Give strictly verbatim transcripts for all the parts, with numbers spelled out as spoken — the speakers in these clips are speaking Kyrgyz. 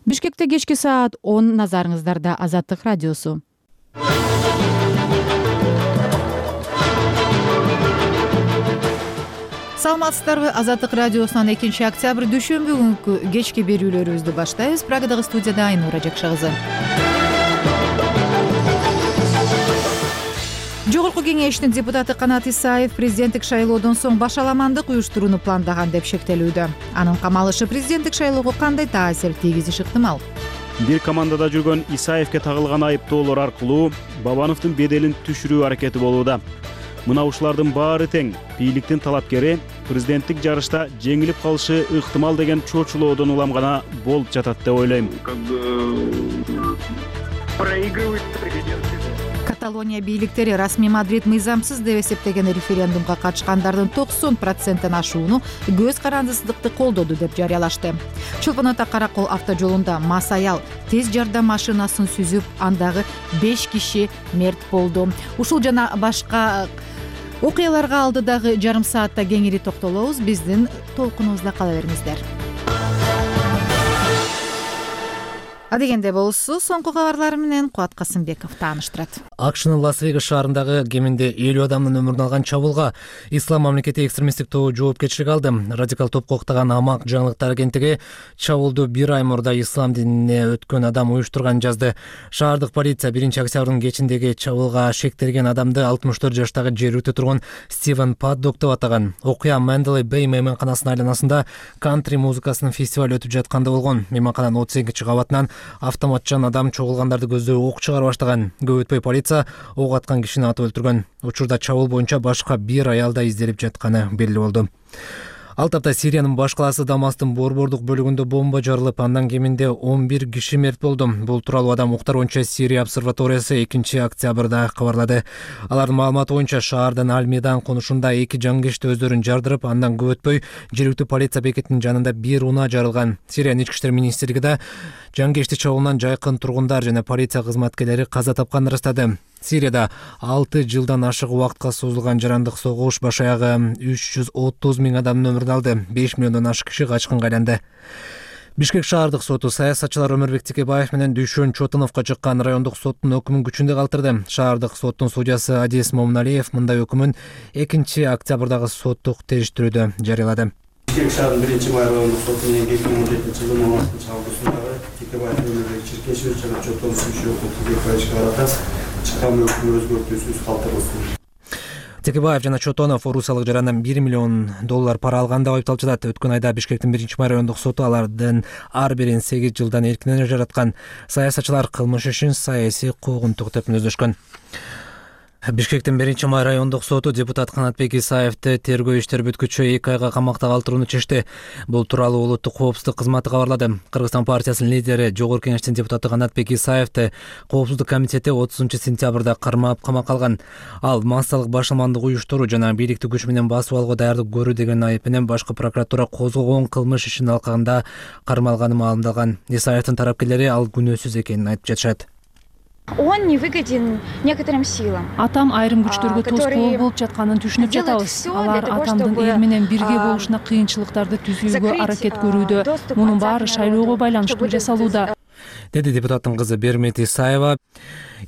Бишкекте кечки саат он, назарыңыздарда Азаттык радиосу. Саламатсыздарбы? Азаттык радиосунан экинчи октябрь дүйшөмбү күнкү кечки берүүлөрүбүздү баштайбыз. Прагадагы студияда Айнура Жакшы кызы. Жогорку кеңештин депутаты Канат Исаев президенттик шайлоодон соң башаламандык уюштурууну пландаган деп шектелүүдө. Анын камалышы президенттик шайлоого кандай таасир тийгизиши ыктымал? Бир командада жүргөн Исаевке тагылган айыптоолор аркылуу Бабановдун беделин түшүрүү аракети болууда. Мына ушулардын баары тең бийликтин талапкери президенттик жарышта жеңилип калышы ыктымал деген чочулоодон улам гана болуп жатат деп ойлойм. Каталония бийликтери расмий Мадрид мыйзамсыз деп эсептеген референдумга катышкандардын токсон проценттен ашууну көз карандысыздыкты колдоду деп жарыялашты. Чолпон Ата Каракол автожолунда мас аял тез жардам машинасын сүзүп, андагы беш киши мерт болду. Ушул жана башка окуяларга алдыдагы жарым саатта кеңири токтолобуз. Биздин толкунубузда кала бериңиздер. Адегенде болсу, соңку кабарлар менен Кубат Касымбеков тааныштырат. Акшнын Лас-Вегас шаарындагы кеминде элүү адамдын өмүрүн алган чабуулга Ислам мамлекети экстремисттик тобу жоопкерчилик алды. Радикал топко уктаган Амак жаңылыктар агенттиги чабуулду бир ай мурда ислам динине өткөн адам уюштурган жазды. Шаардык полиция биринчи октябрдын кечиндеги чабуулга шектелген адамды алтымыш төрт жаштагы жергиликтүү тургун Стивен Паддок деп атаган. Окуя Менделей Бэй мейманканасынын айланасында кантри музыкасынын фестиваль өтүп жатканда болгон. Мейманкананын отуз экинчи кабатынан автоматчан адам чогулгандарды көздөй ок чыгара баштаган. Көп өтпөй полиция ок аткан кишини атып өлтүргөн. Учурда чабуул боюнча башка бир аялда изделип жатканы белгилүү болду. Ал тапта Сириянын баш калаасы Дамастын борбордук бөлүгүндө бомба жарылып, андан кеминде он бир киши мерт болду. Бул тууралуу Адам укуктар боюнча Сирия обсерваториясы экинчи октябрда кабарлады. Алардын маалыматы боюнча шаардын Аль-Мейдан конушунда эки жангечти өздөрүн жардырып, андан көп өтпөй жергиликтүү полиция бекетинин жанында бир унаа жарылган. Сириянын ички иштер министрлиги да жангечти чабуулунан жайкын тургундар жана полиция кызматкерлери каза тапканын ырастады. Сирияда алты жылдан ашык убакытка созулган жарандык согуш баш аягы үч жүз отуз миң адамдын өмүрүн алды. беш миллиондон ашык киши качкынга айланды. Бишкек шаардык соту саясатчылар Өмүрбек Текебаев менен Дүйшөн Чотоновго чыккан райондук соттун өкүмүн күчүндө калтырды. Шаардык соттун судьясы Адис Момуналиев мындай өкүмүн экинчи октябрдагы соттук териштирүүдө жарыялады. Бишкек шаарынын биринчи май райондук соту менен эки миң он жетинчи жылдын он алтынчы августундагы Текебаев Өмүрбек Черкешевич жана Чотонов Сүйшөков Текебаевичке карата чыккан өкүмдү өзгөртүүсүз калтырылсын. Текебаев жана Чотонов орусиялык жарандан бир миллион доллар пара алган деп айыпталып жатат. Өткөн айда Бишкектин биринчи май райондук соту алардын ар бирин сегиз жылдан эркинен жараткан. Саясатчылар кылмыш ишин саясий куугунтук деп мүнөздөшкөн. Бишкектин биринчи май райондук соту депутат Канатбек Исаевди тергөө иштер бүткүчү эки айга камакта калтырууну чечти. Бул тууралуу улуттук коопсуздук кызматы кабарлады. Кыргызстан партиясынын лидери, Жогорку кеңештин депутаты Канатбек Исаевди коопсуздук комитети отузунчу сентябрда кармап камакка алган. Ал массалык башаламандык уюштуруу жана бийликти күч менен басып алууга даярдык көрүү деген айып менен башкы прокуратура козгогон кылмыш ишинин алкагында кармалганы маалымдалган. Исаевдин тарапкерлери ал күнөөсүз экенин айтып жатышат. Он не выгоден некоторым силам. Атам айрым күчтөргө тоскоол болуп жатканын түшүнүп жатабыз. Алар атамдын эл менен бирге болушуна кыйынчылыктарды түзүүгө аракет көрүүдө. Мунун баары шайлоого байланыштуу жасалууда, деди депутаттын кызы Бермет Исаева.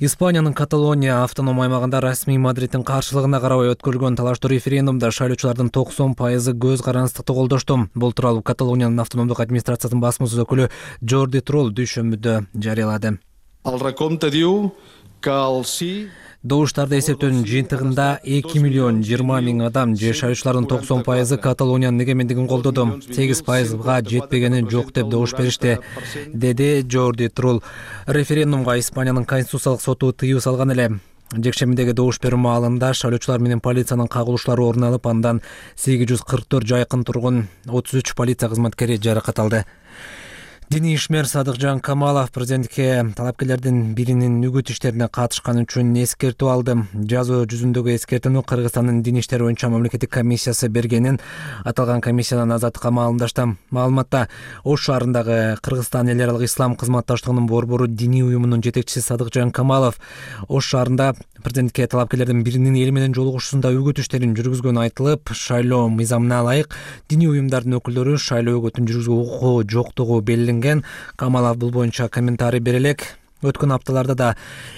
Испаниянын Каталония автоном аймагында расмий Мадридтин каршылыгына карабай өткөрүлгөн талаштуу референдумда шайлоочулардын токсон пайызы көз карандысыздыкты колдошту. Бул тууралуу Каталониянын автономдук администрациясынын басмасөз өкүлү Джорди Трол дүйшөмбүдө жарыялады. Al recompte diu que el sí Добуштарды эсептөөнүн жыйынтыгында эки миллион жыйырма миң адам же шайлоочулардын токсон пайызы Каталониянын эгемендигин колдоду. сегиз пайызга жетпегени жок деп добуш беришти, деди Джорди Трул. Референдумга Испаниянын конституциялык соту тыюу салган эле. Жекшембидеги добуш берүү маалында шайлоочулар менен полициянын кагылышлары орун алып, андан сегиз жүз кырк төрт жайкын тургун, отуз үч полиция кызматкери жаракат алды. Диний ишмер Садыкжан Камалов президентке талапкерлердин биринин үгүт иштерине катышканы үчүн эскертүү алды. Жазуу жүзүндөгү эскертүүнү Кыргызстандын дин иштери боюнча мамлекеттик комиссиясы бергенин аталган комиссиянын азаттыкка маалымдашты. Маалыматта Ош шаарындагы Кыргызстан эл аралык ислам кызматташтыгынын борбору диний уюмунун жетекчиси Садыкжан Камалов Ош шаарында президентке талапкерлердин биринин эл менен жолугушуусунда үгүт иштерин жүргүзгөнү айтылып, шайлоо мыйзамына ылайык диний уюмдардын өкүлдөрү шайлоо үгүтүн жүргүзүүгө укугу жоктугу белгиленген делинген. Камалов бул боюнча комментарий бере элек. Өткөн апталарда да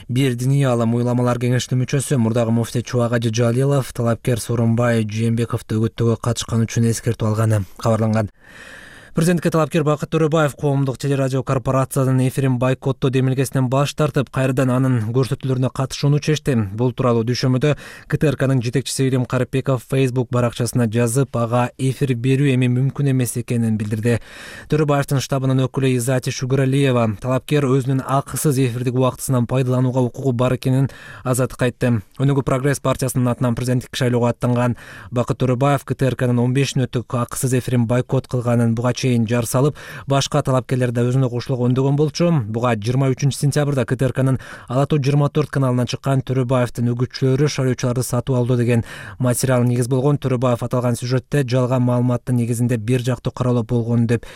бир диний аалым уйламалар кеңешинин мүчөсү мурдагы муфтий Чубагажы Жалилов талапкер Сооронбай Жээнбековду өгөттөөгө катышканы үчүн эскертип алганы кабарланган. Президентке талапкер Бакыт Төрөбаев коомдук телерадио корпорациянын эфирин бойкоттоо демилгесинен баш тартып, кайрадан анын көрсөтүүлөрүнө катышууну чечти. Бул тууралуу дүйшөмөдө КТРКнын жетекчиси Ирим Карипбеков Facebook баракчасына жазып, ага эфир берүү эми мүмкүн эмес экенин билдирди. Төрөбаевдин штабынын өкүлү Изати Шугуралиева талапкер өзүнүн акысыз эфирдик убактысынан пайдаланууга укугу бар экенин азаттыкка айтты. Өнүгүү прогресс партиясынын атынан президенттик шайлоого аттанган Бакыт Төрөбаев КТРКнын он беш мүнөттүк акысыз эфирин бойкот кылганын буга жар салып, башка талапкерлер да өзүнө кошулууга өндөгөн болчу. Буга жыйырма үчүнчү сентябрда КТРКнын Ала Тоо жыйырма төрт каналынан чыккан Төрөбаевдин үгүтчүлөрү шайлоочуларды сатып алды деген материал негиз болгон. Төрөбаев аталган сюжетте жалган маалыматтын негизинде бир жактуу каралып болгон деп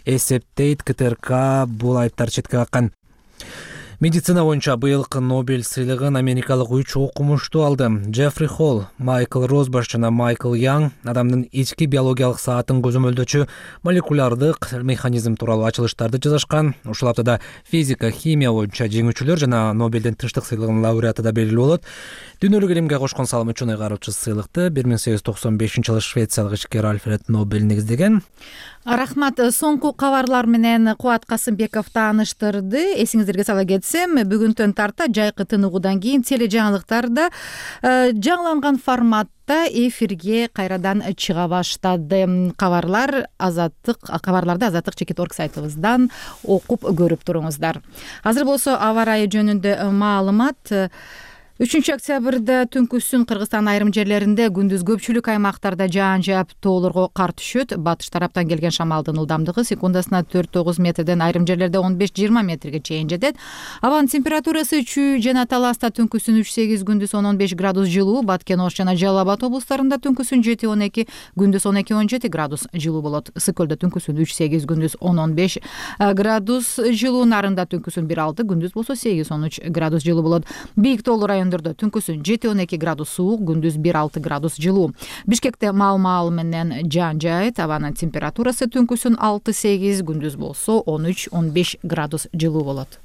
эсептейт. КТРК бул айыптарды четке каккан. Медицина боюнча быйылкы Нобель сыйлыгын америкалык үч окумуштуу алды. Джеффри Холл, Майкл Розбаш жана Майкл Янг адамдын ички биологиялык саатын көзөмөлдөөчү молекулярдык механизм тууралуу ачылыштарды жазышкан. Ушул аптада физика, химия боюнча жеңүүчүлөр жана Нобелдин тынчтык сыйлыгынын лауреаты да белгилүү болот. Дүйнөлүк илимге кошкон салымы үчүн ыйгаруучу сыйлыкты бир миң сегиз жүз токсон бешинчи жылы швециялык ишкер Альфред Нобель негиздеген. Рахмат. Соңку кабарлар менен Кубат Касымбеков тааныштырды. Эсиңиздерге сала кетсем, бүгүнтөн тарта жайкы тыныгуудан кийин тележаңылыктарда жаңыланган форматта эфирге кайрадан чыга баштады. Кабарлар Азаттык, кабарларды Азаттык чекит точка орг сайтыбыздан окуп көрүп туруңуздар. Азыр болсо аба ырайы жөнүндө маалымат. үчүнчү октябрда түнкүсүн Кыргызстан айрым жерлеринде, күндүз көпчүлүк аймактарда жаан жаап тоолорго кар түшөт. Батыш тараптан келген шамалдын ылдамдыгы секундасына төрт тогуз метрден, айрым жерлерде он беш жыйырма метрге чейин жетет. Абанын температурасы чүй жана Таласта түнкүсүн үч сегиз, күндүз он он беш градус жылуу, Баткен, Ош жана Жалал Абад облустарында түнкүсүн жети он эки, күндүз он эки он жети градус жылуу болот. Ысык көлдө түнкүсүн үч сегиз, күндүз он он беш градус жылуу, Нарында түнкүсүн бир алты, күндүз болсо сегиз он үч градус жылуу болот. Бийик тоолуу район түнкүсүн жети он эки градус суук, күндүз бир алты градус жылуу. Бишкекте маал-маал менен жаан жаайт. Абанын температурасы түнкүсүн алты сегиз, күндүз болсо он үч он беш градус жылуу болот.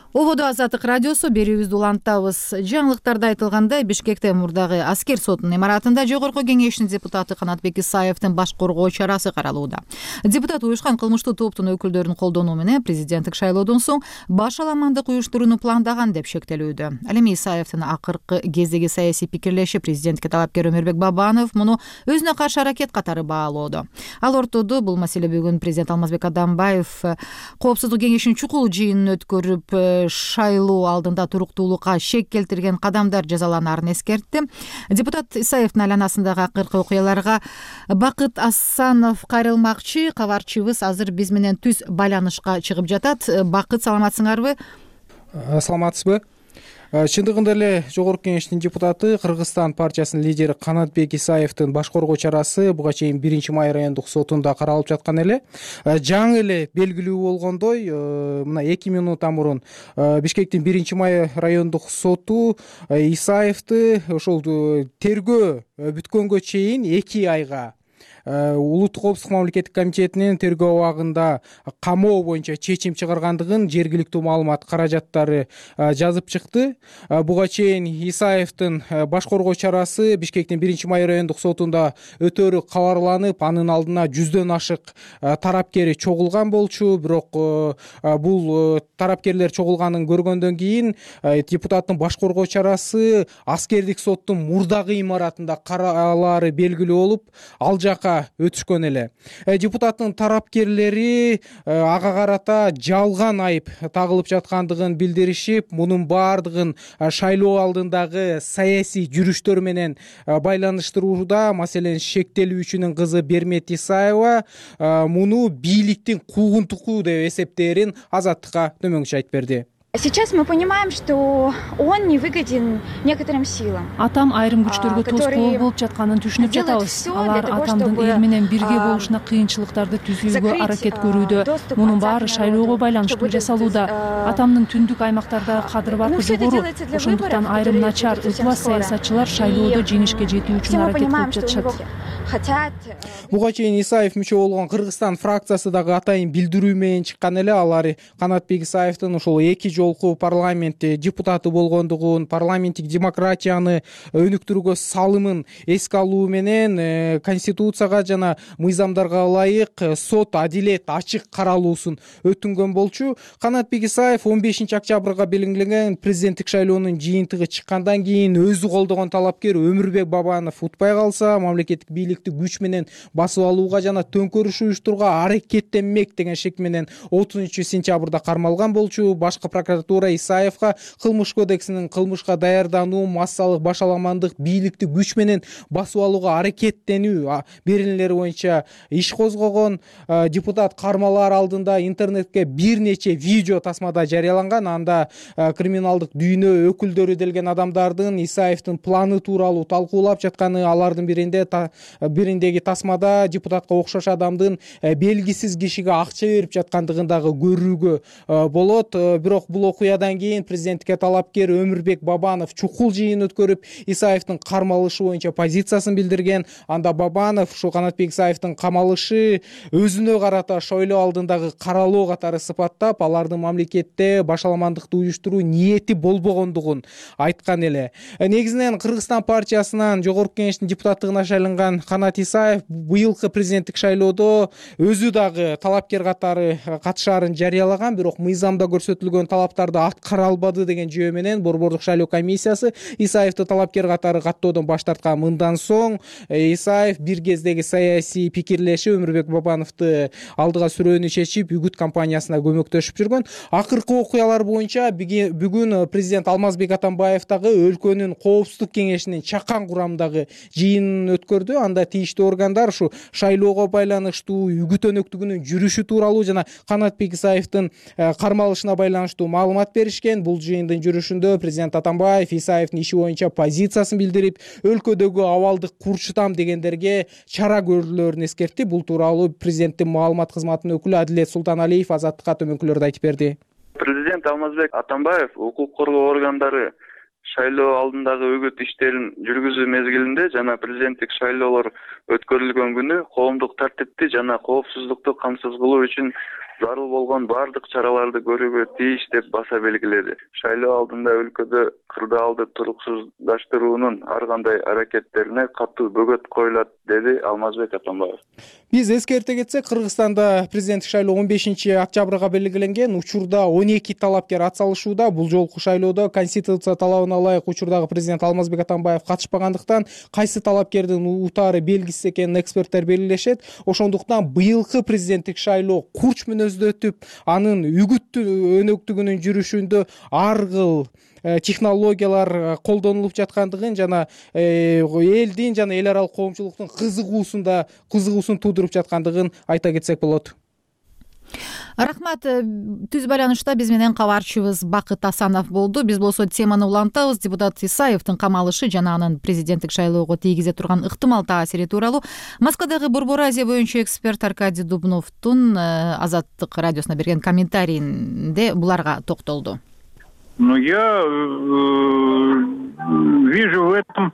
Ободо Азаттык радиосу, берүүбүздү улантабыз. Жаңылыктарда айтылгандай, Бишкекте мурдагы аскер сотунун имаратында Жогорку кеңештин депутаты Канатбек Исаевдин баш коргоо чарасы каралууда. Депутат уюшкан кылмыштуу топтун өкүлдөрүнүн колдонуу менен президенттик шайлоодон соң баш аламандык уюштурууну пландаган деп шектелүүдө. Ал эми Исаевдин акыркы кездеги саясий пикирлеши президентке талапкер Өмүрбек Бабанов муну өзүнө каршы аракет катары баалоодо. Ал ортодо бул маселе бүгүн президент Алмазбек Атамбаев коопсуздук кеңешинин чукул жыйынын өткөрүп шайлоо алдында туруктуулукка шек келтирген кадамдар жазаланаарын эскертти. Депутат Исаевдин айланасындагы акыркы окуяларга Бакыт Асанов кайрылмакчы. Кабарчыбыз азыр биз менен түз байланышка чыгып жатат. Бакыт, саламатсыңарбы? Саламатсызбы? Чындыгында эле Жогорку кеңештин депутаты, Кыргызстан партиясынын лидери Канатбек Исаевдин баш коргоо чарасы буга чейин биринчи май райондук сотунда каралып жаткан эле. Жаңы эле белгилүү болгондой, мына эки минутта мурун Бишкектин биринчи май райондук соту Исаевди ошол тергөө бүткөнгө чейин эки айга Улуттук коопсуздук мамлекеттик комитетинин тергөө абагында камоо боюнча чечим чыгаргандыгын жергиликтүү маалымат каражаттары жазып чыкты. Буга чейин Исаевдин баш коргоо чарасы Бишкектин биринчи май райондук сотунда өтөрү кабарланып, анын алдына жүздөн ашык тарапкери чогулган болчу. Бирок бул тарапкерлер чогулганын көргөндөн кийин депутаттын баш коргоо чарасы аскердик соттун мурдагы имаратында каралаары белгилүү болуп, ал жака өтүшкөн эле. Депутаттын тарапкерлери ага карата жалган айып тагылып жаткандыгын билдиришип, мунун баардыгын шайлоо алдындагы саясий жүрүштөр менен байланыштырууда. Маселен, шектелүүчүнүн кызы Бермет Исаева муну бийликтин куугунтугу деп эсептээрин Азаттыкка төмөнкүчө айтып берди. Сейчас мы понимаем, что он не выгоден некоторым силам. Атам айрым күчтөргө тоскоол болуп жатканын түшүнүп жатабыз. Алар атамдын эл менен бирге болушуна кыйынчылыктарды түзүүгө аракет көрүүдө. Мунун баары шайлоого байланыштуу жасалууда. Атамдын түндүк аймактардагы кадыр-баркы жогору. Ошондуктан айрым начар ыплас саясатчылар шайлоодо жеңишке жетүү үчүн аракет кылып жатышат. Буга чейин Исаев мүчө болгон Кыргызстан фракциясы дагы атайын билдирүү менен чыккан эле. Алар Канатбек Исаевдин ушул эки жолку парламент депутаты болгондугун, парламенттик демократияны өнүктүрүүгө салымын эске алуу менен конституцияга жана мыйзамдарга ылайык сот адилет ачык каралуусун өтүнгөн болчу. Канатбек Исаев он бешинчи октябрга белгиленген президенттик шайлоонун жыйынтыгы чыккандан кийин өзү колдогон талапкер Өмүрбек Бабанов утпай калса, мамлекеттик бийликти күч менен басып алууга жана төңкөрүш уюштурууга аракеттенмек деген шек менен отузунчу сентябрда кармалган болчу. Башкы прокуратура Исаевга кылмыш кодексинин кылмышка даярдануу, массалык башаламандык, бийликти күч менен басып алууга аракеттенүү беренелери боюнча иш козгогон. Депутат кармалаар алдында интернетке бир нече видео тасмада жарыяланган. Анда криминалдык дүйнө өкүлдөрү делген адамдардын Исаевдин планы тууралуу талкуулап жатканы, алардын биринде бириндеги тасмада депутатка окшош адамдын белгисиз кишиге акча берип жаткандыгын дагы көрүүгө болот. Бирок бул окуядан кийин президенттикке талапкер Өмүрбек Бабанов чукул жыйын өткөрүп, Исаевдин кармалышы боюнча позициясын билдирген. Анда Бабанов ушул Канатбек Исаевдин камалышы өзүнө карата шойлоо алдындагы каралоо катары сыпаттап, алардын мамлекетте башаламандыкты уюштуруу ниети болбогондугун айткан эле. Негизинен Кыргызстан партиясынан жогорку кеңештин депутаттыгына шайланган Канат Исаев быйылкы президенттик шайлоодо өзү дагы талапкер катары катышаарын жарыялаган, бирок мыйзамда көрсөтүлгөн талаптарды аткара албады деген жөө менен Борбордук шайлоо комиссиясы Исаевди талапкер катары каттоодон баш тарткан. Мындан соң Исаев бир кездеги саясий пикирлеши Өмүрбек Бабановду алдыга сүрөөнү чечип, үгүт кампаниясына көмөктөшүп жүргөн. Акыркы окуялар боюнча бүгүн президент Алмазбек Атамбаев дагы өлкөнүн коопсуздук кеңешинин чакан курамдагы жыйынын өткөрдү. Анда тийиштүү органдар ушу шайлоого байланыштуу үгүт өнөктүгүнүн жүрүшү тууралуу жана Канатбек Исаевдин кармалышына байланыштуу маалымат беришкен. Бул жыйындын жүрүшүндө президент Атамбаев Исаевдин иши боюнча позициясын билдирип, өлкөдөгү абалды курчутам дегендерге чара көрүүлөрүн эскертти. Бул тууралуу президенттин маалымат кызматынын өкүлү Адилет Султаналиев Азаттыкка төмөнкүлөрдү айтып берди. Президент Алмазбек Атамбаев укук коргоо органдары шайлоо алдындагы үгүт иштерин жүргүзүү мезгилинде жана президенттик шайлоолор өткөрүлгөн күнү коомдук тартипти жана коопсуздукту камсыз кылуу үчүн зарыл болгон баардык чараларды көрүүгө тийиш деп баса белгиледи. Шайлоо алдында өлкөдө кырдаалды туруксуздаштыруунун ар кандай аракеттерине катуу бөгөт коюлат, деди Алмазбек Атамбаев. Биз эскерте кетсек, Кыргызстанда президенттик шайлоо он бешинчи октябрга белгиленген. Учурда он эки талапкер атсалышууда. Бул жолку шайлоодо конституция талабына ылайык учурдагы президент Алмазбек Атамбаев катышпагандыктан кайсы талапкердин утаары белгисиз экенин эксперттер белгилешет. Ошондуктан быйылкы президенттик шайлоо курч мүнөздө өтүп, анын үгүт өнөктүгүнүн жүрүшүндө ар кыл технологиялар колдонулуп жаткандыгын жана элдин жана эл аралык коомчулуктун кызыгуусунда кызыгуусун туудуруп жаткандыгын айта кетсек болот. Рахмат. Түз байланышта биз менен кабарчыбыз Бакыт Асанов болду. Биз болсо теманы улантабыз. Депутат Исаевдин камалышы жана анын президенттик шайлоого тийгизе турган ыктымал таасири тууралуу Москвадагы Борбор Азия боюнча эксперт Аркадий Дубновдун Азаттык радиосуна берген комментарийинде буларга токтолду. Ну, я вижу в этом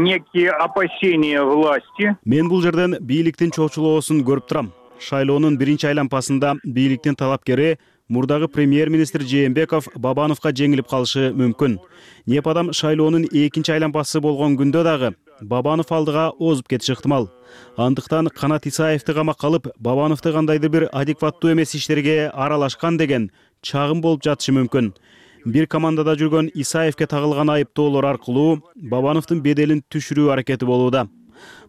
некие опасения власти. Мен бул жерден бийликтин чоочулоосун көрүп турам. Шайлоонун биринчи айланпасында бийликтин талапкери мурдагы премьер-министр Жээнбеков Бабановго жеңилип калышы мүмкүн. Непадам шайлоонун экинчи айланпасы болгон күндө дагы Бабанов алдыга озуп кетиши ыктымал. Андыктан Канат Исаевди камакка алып, Бабановду кандайдыр бир адекваттуу эмес иштерге аралашкан деген чагым болуп жатышы мүмкүн. Бир командада жүргөн Исаевге тагылган айыптоолор аркылуу Бабановдун беделин түшүрүү аракети болууда.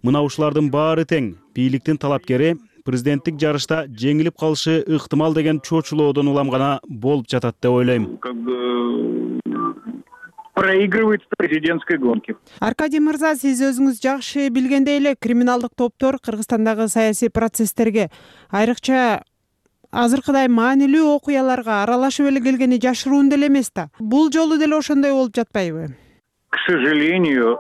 Мына ушулардын баары тең бийликтин талапкери президенттик жарышта жеңилип калышы ыктымал деген чоочулоодон улам гана болуп жатат деп ойлойм. Проигрывает в президентской гонке. Аркадий мырза, сиз өзүңүз жакшы билгендей эле криминалдык топтор Кыргызстандагы саясий процесстерге, айрыкча азыркыдай маанилүү окуяларга аралашып эле келгени жашыруун деле эмес да. Бул жолу деле ошондой болуп жатпайбы? К сожалению,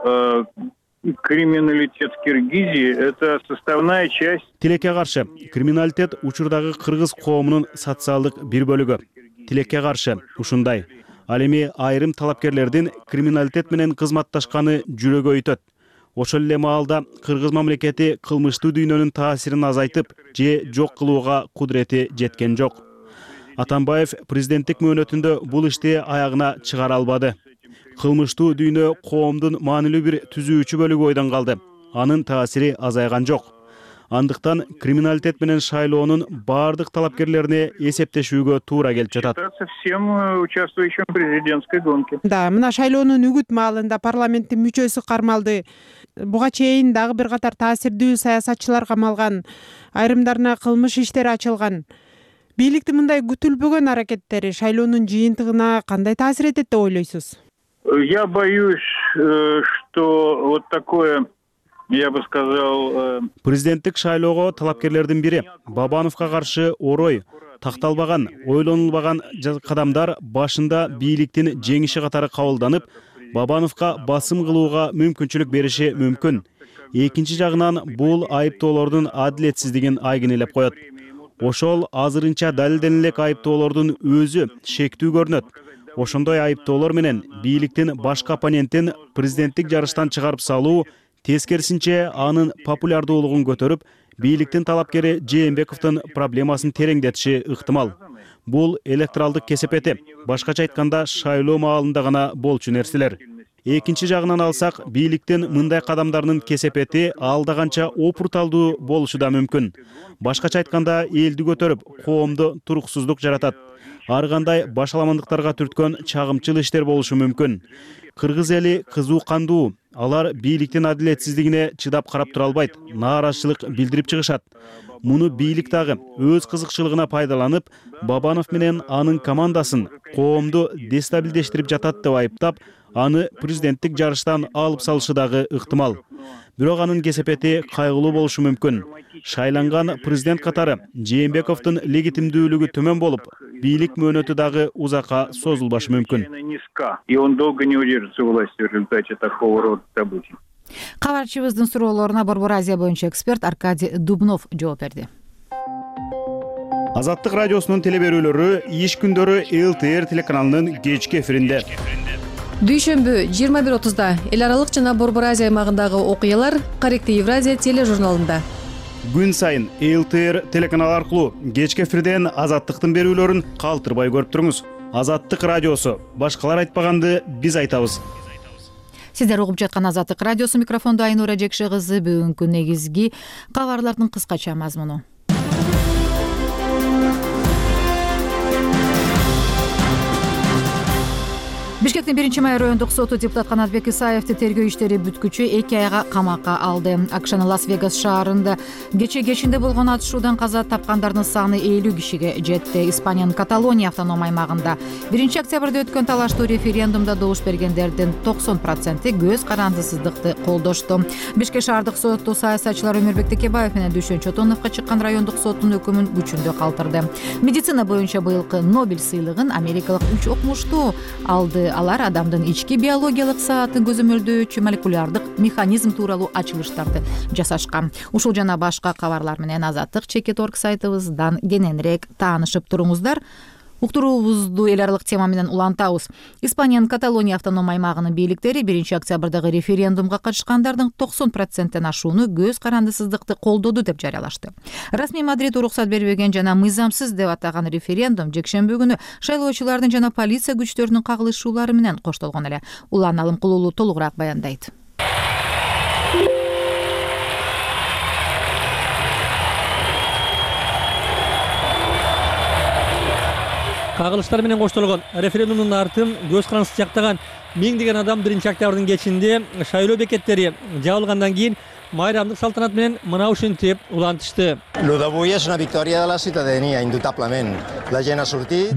криминалитет в Киргизии – это составная часть. Тилекке каршы криминалитет учурдагы кыргыз коомунун социалдык бир бөлүгү. Тилекке каршы ушундай. Ал эми айрым талапкерлердин криминалитет менен кызматташканы жүрөгү өйтөт. Ошол эле маалда кыргыз мамлекети кылмыштуу дүйнөнүн таасирин азайтып же жок кылууга кудурети жеткен жок. Атамбаев президенттик мөөнөтүндө бул ишти аягына чыгара албады. Кылмыштуу дүйнө коомдун маанилүү бир түзүүчү бөлүгү ойдон калды. Анын таасири азайган жок. Андыктан криминалитет менен шайлоонун бардык талапкерлерине эсептешүүгө туура келип жатат. Всем участвующим в президентской гонке. Да, мына шайлоонун үгүт маалында парламенттин мүчөсү кармалды. Буга чейин дагы бир катар таасирдүү саясатчылар камалган, айрымдарына кылмыш иштери ачылган. Бийликтин мындай күтүлбөгөн аракеттери шайлоонун жыйынтыгына кандай таасир этет деп ойлойсуз? Я боюсь, что вот такое, я бы сказал... Президенттик шайлоого талапкерлердин бири Бабановго каршы орой, такталбаган, ойлонулбаган кадамдар башында бийликтин жеңиши катары кабылданып, Бабановго басым кылууга мүмкүнчүлүк бериши мүмкүн. Экинчи жагынан бул айыптоолордун адилетсиздигин айгинелеп коет. Ошол азырынча далилдене элек айыптоолордун өзү шектүү көрүнөт. Ошондой айыптоолор менен бийликтин башка оппонентин президенттик жарыштан чыгарып салуу тескерисинче анын популярдуулугун көтөрүп, бийликтин талапкери Жээнбековдун проблемасын тереңдетиши ыктымал. Бул электоралдык кесепети, башкача айтканда шайлоо маалында гана болчу нерселер. Экинчи жагынан алсак, бийликтин мындай кадамдарынын кесепети алда канча опурталдуу болушу да мүмкүн. Башкача айтканда элди көтөрүп, коомдо туруксуздук жаратат. Ар кандай башаламандыктарга түрткөн чагымчыл иштер болушу мүмкүн. Кыргыз эли кызуу кандуу, алар бийликтин адилетсиздигине чыдап карап тура албайт, нааразычылык билдирип чыгышат. Муну бийлик дагы өз кызыкчылыгына пайдаланып, Бабанов менен анын командасын коомду дестабилдештирип жатат деп айыптап, аны президенттик жарыштан алып салышы дагы ыктымал. Бирок анын кесепети кайгылуу болушу мүмкүн. Шайланган президент катары Жээнбековдун легитимдүүлүгү төмөн болуп, бийлик мөөнөтү дагы узакка созулбашы мүмкүн. И он долго не удержится у власти в результате такого рода событий. Кабарчыбыздын суроолоруна Борбор Азия боюнча эксперт Аркадий Дубнов жооп берди. Азаттык радиосунун телеберүүлөрү иш күндөрү эл тэ эр телеканалынын кечки эфиринде. Дүйшөмбү жыйырма бир отузда эл аралык жана Борбор Азия аймагындагы окуялар Каректи Евразия тележурналында. Күн сайын эл тэ эр телеканалы аркылуу кечки эфирден Азаттыктын берүүлөрүн калтырбай көрүп туруңуз. Азаттык радиосу, башкалар айтпаганды биз айтабыз. Сиздер угуп жаткан Азаттык радиосу, микрофондо Айнура Жекше кызы. Бүгүнкү негизги кабарлардын кыскача мазмуну. Бишкектин биринчи май райондук соту депутат Канатбек Исаевди тергөө иштери бүткүчү эки айга камакка алды. АКШнын Лас-Вегас шаарында кече кечинде болгон атышуудан каза тапкандардын саны элүү кишиге жетти. Испаниянын Каталония автоном аймагында биринчи октябрда өткөн талаштуу референдумда добуш бергендердин токсон проценти көз карандысыздыкты колдошту. Бишкек шаардык соту саясатчылар Өмүрбек Текебаев менен Дүйшөн Чотоновго чыккан райондук соттун өкүмүн күчүндө калтырды. Медицина боюнча быйылкы Нобель сыйлыгын америкалык үч окумуштуу алды. Алар адамдын ички биологиялык саатын көзөмөлдөөчү молекулярдык механизм тууралуу ачылыштарды жасашкан. Ушул жана башка кабарлар менен Азаттык чекит точка орг сайтыбыздан кененирээк таанышып туруңуздар. Уктуруубузду эл аралык тема менен улантабыз. Испаниянын Каталония автоном аймагынын бийликтери биринчи октябрдагы референдумга катышкандардын токсон проценттен ашууну көз карандысыздыкты колдоду деп жарыялашты. Расмий Мадрид уруксат бербеген жана мыйзамсыз деп атаган референдум жекшемби күнү шайлоочулардын жана полиция күчтөрүнүн кагылышуулары менен коштолгон эле. Улан Алымкулуулу толугураак баяндайт. Кагылыштар менен коштолгон референдумдун артын көз карандысыз жактаган миңдеген адам биринчи октябрдын кечинде шайлоо бекеттери жабылгандан кийин майрамдык салтанат менен мына ушинтип улантышты.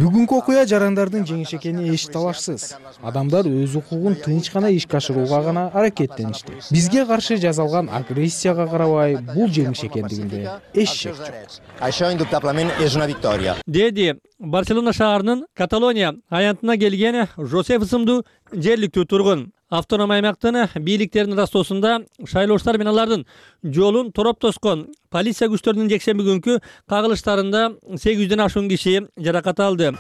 Бүгүнкү окуя жарандардын жеңиши экени эч талашсыз. Адамдар өз укугун тынч гана ишке ашырууга гана аракеттеништи. Бизге каршы жасалган агрессияга карабай, бул жеңиш экендигинде эч шек жок. Деди Барселона шаарынын Каталония аянтына келген Жосеф ысымдуу жергиликтүү тургун. Автоном аймактын бийликтеринин ырастоосунда шайлоочулар менен алардын жолун тороп тоскон полиция күчтөрүнүн жекшемби күнкү кагылыштарында сегиз жүздөн ашуун киши жаракат алды.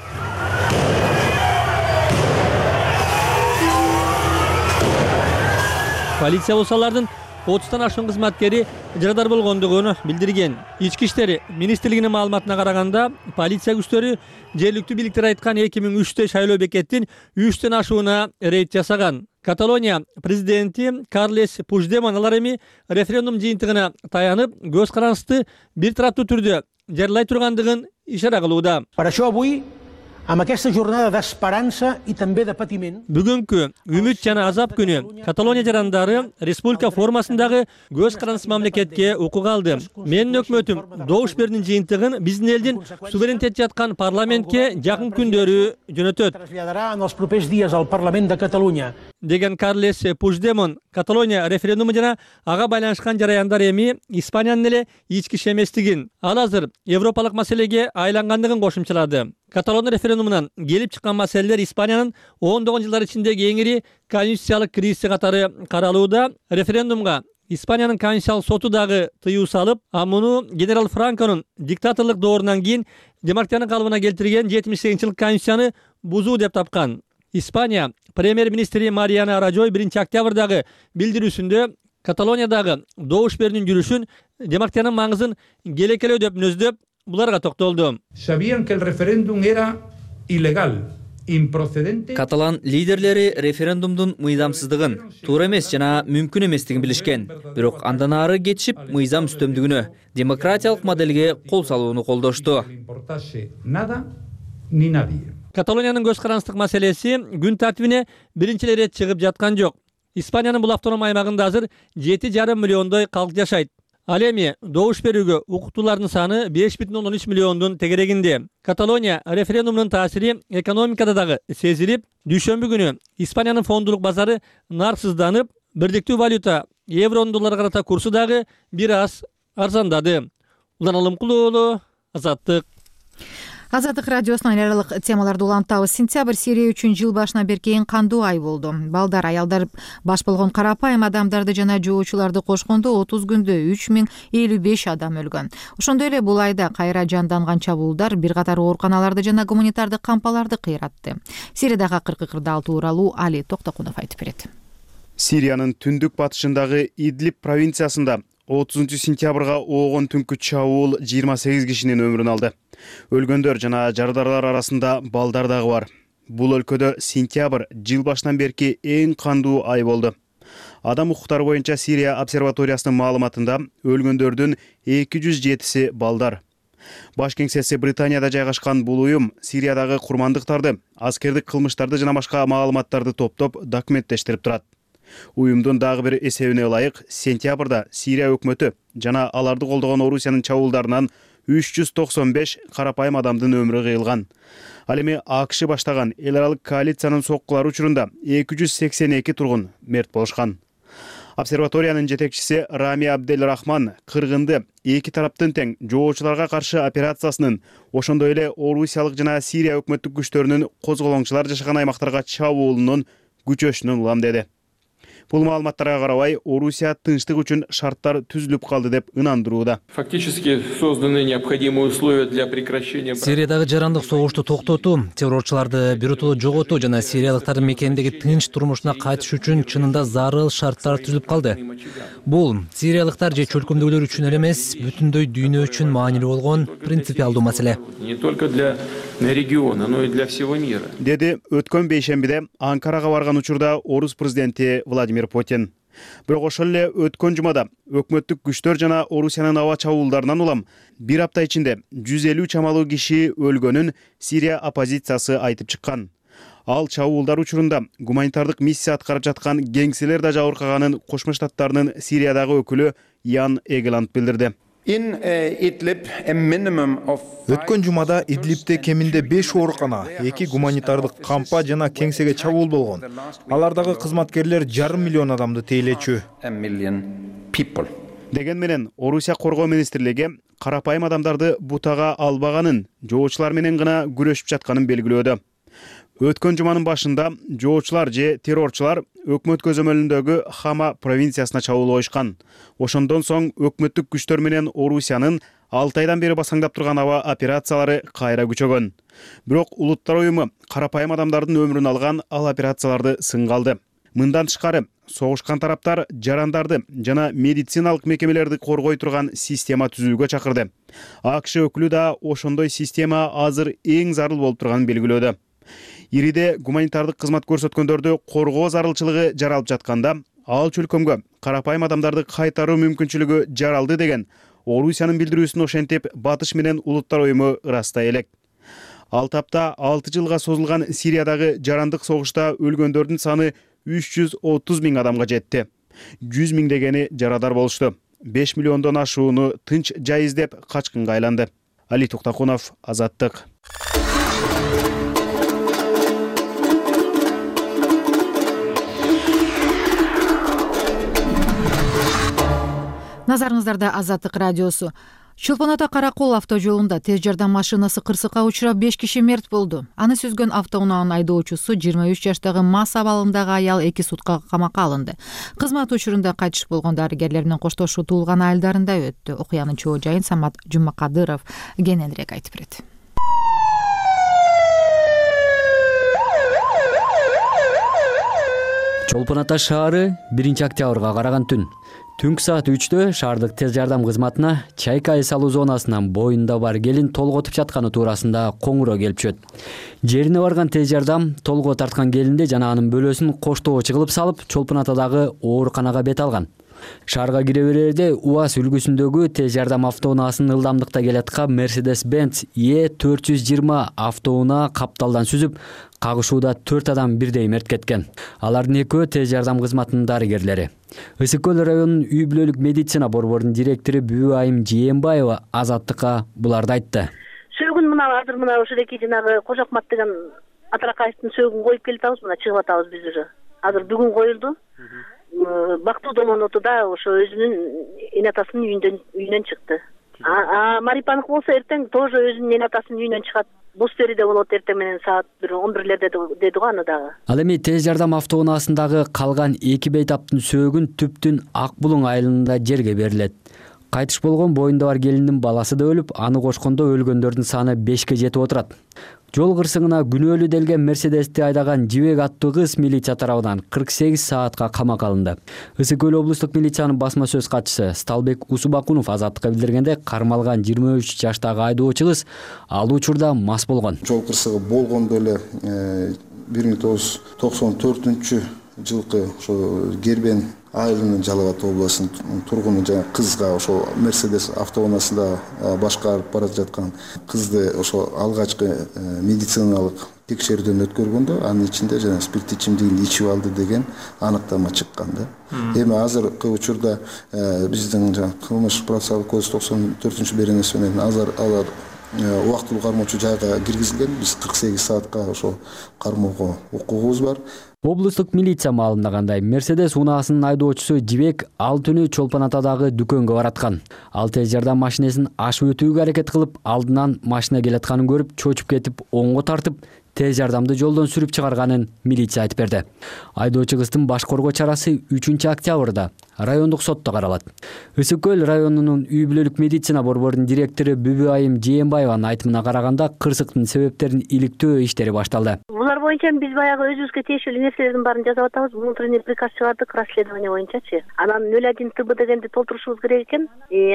Полиция болсо алардын отуздан ашуун кызматкери жарадар болгондугун билдирген. Ички иштер министрлигинин маалыматына караганда, полиция күчтөрү жергиликтүү бийликтер айткан эки миң үчтө шайлоо бекеттин үчтөн ашууна рейд жасаган. Каталония президенти Карлес Пуждемон алар эми референдум жыйынтыгына таянып, көз карандысты бир тараптуу түрдө жарыялай тургандыгын ишара кылууда. Бүгүнкү үмүт жана азап күнү Каталония жарандары республика формасындагы көз карандысыз мамлекетке укук алды. Менин өкмөтүм добуш берүүнүн жыйынтыгын биздин элдин суверенитет жаткан парламентке жакын күндөрү жөнөтөт деген Карлес Пуждемон. Каталония референдуму жана ага байланышкан жараяндар эми Испаниянын эле ички иш эместигин, ал азыр европалык маселеге айлангандыгын кошумчалады. Каталон референдумунан келип чыккан маселелер Испаниянын ондогон жылдар ичиндеги эң ири конституциялык кризиси катары каралууда. Референдумга Испаниянын конституциялык соту дагы тыюу салып, а муну генерал Франконун диктаторлук доорунан кийин демократиянын калыбына келтирген жетимиш сегизинчи жылкы конституцияны бузуу деп тапкан. Испания премьер-министри Мариана Рajой биринчи октябрдагы билдирүүсүндө Каталониядагы добуш берүүнүн жүрүшүн демократиянын маңызын келекелөө деп мүнөздөп, буларга токтолду. Каталан лидерлери референдумдун мыйзамсыздыгын, туура эмес жана мүмкүн эместигин билишкен. Бирок андан ары кетишип, мыйзам үстөмдүгүнө, демократиялык моделге кол салууну колдошту. Каталониянын көз карандысыздык маселеси күн тартибине биринчи рет чыгып жаткан жок. Испаниянын бул автоном аймагында азыр жети жарым миллиондой калк жашайт. Ал эми добуш берүүгө укуктуулардын саны беш бүтүн ондон үч миллиондун тегерегинде. Каталония референдумунун таасири экономикада дагы сезилип, дүйшөмбү күнү Испаниянын фондулук базары нарсызданып, бирдиктүү валюта евронун долларга карата курсу дагы бир аз арзандады. Улан Алымкулуу уулу, Азаттык. Азаттык радиосунан эл аралык темаларды улантабыз. Сентябрь Сирия үчүн жыл башынан берки эң кандуу ай болду. Балдар, аялдар баш болгон карапайым адамдарды жана жоочуларды кошкондо отуз күндө үч миң элүү беш адам өлгөн. Ошондой эле бул айда кайра жанданган чабуулдар бир катар ооруканаларды жана гуманитардык кампаларды кыйратты. Сириядагы акыркы кырдаал тууралуу Али Токтокунов айтып берет. Сириянын түндүк батышындагы Идлиб провинциясында отузунчу сентябрга оогон түнкү чабуул жыйырма сегиз кишинин өмүрүн алды. Өлгөндөр жана жардарлар арасында балдар дагы бар. Бул өлкөдө сентябрь жыл башынан берки эң кандуу ай болду. Адам укуктары боюнча Сирия обсерваториясынын маалыматында өлгөндөрдүн эки жүз жетиси балдар. Баш кеңсеси Британияда жайгашкан бул уюм Сириядагы курмандыктарды, аскердик кылмыштарды жана башка маалыматтарды топтоп документтештирип турат. Уюмдун дагы бир эсебине ылайык, сентябрда Сирия өкмөтү жана аларды колдогон Орусиянын чабуулдарынан үч жүз токсон беш карапайым адамдын өмүрү кыйылган. Ал эми АКШ баштаган эл аралык коалициянын соккулары учурунда эки жүз сексен эки тургун мерт болушкан. Обсерваториянын жетекчиси Рами Абдель Рахман кыргынды эки тараптын тең жоочуларга каршы операциясынын, ошондой эле Орусиялык жана Сирия өкмөттүк күчтөрүнүн козголоңчулар жашаган аймактарга чабуулунун күчөшүнүн улам деди. Бул маалыматтарга карабай, Орусия тынчтык үчүн шарттар түзүлүп калды деп ынандырууда. Фактически созданы необходимые условия для прекращения. Сириядагы жарандык согушту токтотуу, террорчуларды биротоло жоготуу жана сириялыктардын мекендеги тынч турмушуна кайтыш үчүн чынында зарыл шарттар түзүлүп калды. Бул сириялыктар же чөлкөмдөгүлөр үчүн эле эмес, бүтүндөй дүйнө үчүн маанилүү болгон принципиалдуу маселе. Не только для региона, но и для всего мира. Деди өткөн бейшембиде Анкарага барган учурда Орус президенти Владимир Путин. Бирок ошол эле өткөн жумада өкмөттүк күчтөр жана Орусиянын аба чабуулдарынан улам бир апта ичинде жүз элүү чамалуу киши өлгөнүн Сирия оппозициясы айтып чыккан. Ал чабуулдар учурунда гуманитардык миссия аткарып жаткан кеңселер да жабыркаганын Кошмо Штаттарынын Сириядагы өкүлү Ян Эгеланд билдирди. Өткөн жумада Идлибте кеминде беш оорукана, эки гуманитардык кампа жана кеңсеге чабуул болгон. Алардагы кызматкерлер жарым миллион адамды тейлечү. Деген менен Орусия коргоо министрлиги карапайым адамдарды бутага албаганын, жоочулар менен гана күрөшүп жатканын белгилөөдө. Өткөн жуманын башында жоочулар же террорчулар өкмөт көзөмөлүндөгү Хама провинциясына чабуул коюшкан. Ошондон соң өкмөттүк күчтөр менен Орусиянын алты айдан бери басаңдап турган аба операциялары кайра күчөгөн. Бирок Улуттар уюму карапайым адамдардын өмүрүн алган ал операцияларды сынга алды. Мындан тышкары согушкан тараптар жарандарды жана медициналык мекемелерди коргой турган система түзүүгө чакырды. АКШ өкүлү да ошондой система азыр эң зарыл болуп турганын белгилөөдө. Ириде гуманитардык кызмат көрсөткөндөрдү коргоо зарылчылыгы жаралып жатканда, ал чөлкөмгө карапайым адамдарды кайтаруу мүмкүнчүлүгү жаралды деген Орусиянын билдирүүсүн ошентип Батыш менен Улуттар уюму ырастай элек. Ал тапта алты жылга созулган Сириядагы жарандык согушта өлгөндөрдүн саны үч жүз отуз миң адамга жетти. жүз миңдегени жарадар болушту. беш миллиондон ашууну тынч жай издеп качкынга айланды. Али Токтакунов, Азаттык. Назарыңыздарда Азаттык радиосу. Чолпон ата Каракол автожолунда тез жардам машинасы кырсыкка учурап беш киши мерт болду. Аны сүзгөн автоунаанын айдоочусу жыйырма үч жаштагы мас абалындагы аял эки суткага камакка алынды. Кызмат учурунда кайтыш болгон дарыгерлер менен коштошуу туулган айылдарында өттү. Окуянын чоо жайын Самат Жумакадыров кененирээк айтып берет. Чолпон ата шаары биринчи октябрга караган түн. Түнкү саат үчтө шаардык тез жардам кызматына Чайка ай салуу зонасынан боюнда бар келин толготуп жатканы туурасында коңуроо келип түшөт. Жерине барган тез жардам толгоо тарткан келинди жана анын бөлөсүн коштоого чыгылып салып, Чолпон атадагы ооруканага бет алган. Шаарга кире берерде УАЗ үлгүсүндөгү тез жардам автоунаасынын ылдамдыкта келаткан Mercedes-Benz Е төрт жүз жыйырма автоунаа капталдан сүзүп, кагышууда төрт адам бирдей мерт кеткен. Алардын экөө тез жардам кызматынын дарыгерлери. Ысык көл районунун үй бүлөлүк медицина борборунун директору Бүбү Айым Жээнбаева Азаттыкка буларды айтты. Сөөгүн мына азыр мына ошодеки жанагы Кожокмат деген Атаракаевдин сөөгүн коюп келип атабыз, мына чыгып атабыз биз уже. Азыр бүгүн коюлду. Бактуу Домонотуда ошо өзүнүн эне атасынын үйүндөн үйүнөн чыкты. А Марипаныкы болсо эртең тоже өзүнүн эне атасынын үйүнөн чыгат. Бустериде болот эртең менен саат он бирлерде деди го аны дагы. Ал эми тез жардам автоунаасындагы калган эки бейтаптын сөөгүн Түптүн Ак Булуң айылында жерге берилет. Кайтыш болгон боюнда бар келиндин баласы да өлүп, аны кошкондо өлгөндөрдүн саны бешке жетип отурат. Жол кырсыгына күнөөлүү делген Мерседести айдаган Жибек аттуу кыз милиция тарабынан кырк сегиз саатка камакка алынды. Ысык көл облустук милициянын басма сөз катчысы Сталбек Усубакунов Азаттыкка билдиргенде, кармалган жыйырма үч жаштагы айдоочу кыз ал учурда мас болгон. Жол кырсыгы болгондо эле бир миң тогуз жүз токсон төртүнчү жылкы ошо Гербен айылынын Жалал Абад областынын тургуну жана кызга ошо Мерседес автоунаасында башкарып бара жаткан кызды ошо алгачкы медициналык текшерүүдөн өткөргөндө анын ичинде жана спирттүү ичимдигин ичип алды деген аныктама чыккан да. Эми азыркы учурда биздин жана кылмыш процессуалдык кодекс токсон төртүнчү беренеси менен азыр алар убактылуу кармоочу жайга киргизилген. Биз кырк сегиз саатка ошо кармоого укугубуз бар. Облустук милиция маалымдагандай, Мерседес унаасынын айдоочусу Жибек ал түнү Чолпон атадагы дүкөнгө бараткан. Ал тез жардам машинесин ашып өтүүгө аракет кылып, алдынан машина келатканын көрүп, чочуп кетип, оңго тартып, тез жардамды жолдон сүрүп чыгарганын милиция айтып берди. Айдоочу кыздын баш коргоо чарасы үчүнчү октябрда райондук сотто каралат. Ысык көл районунун үй бүлөлүк медицина борборунун директору Бүбү Айым Жээнбаеванын айтымына караганда, кырсыктын себептерин иликтөө иштери башталды. Булар боюнча биз баягы өзүбүзгө тиешелүү нерселердин баарын жазып атабыз. Внутренний приказ чыгардык расследование боюнчачы. Анан нөл один Т Б дегенди толтурушубуз керек экен.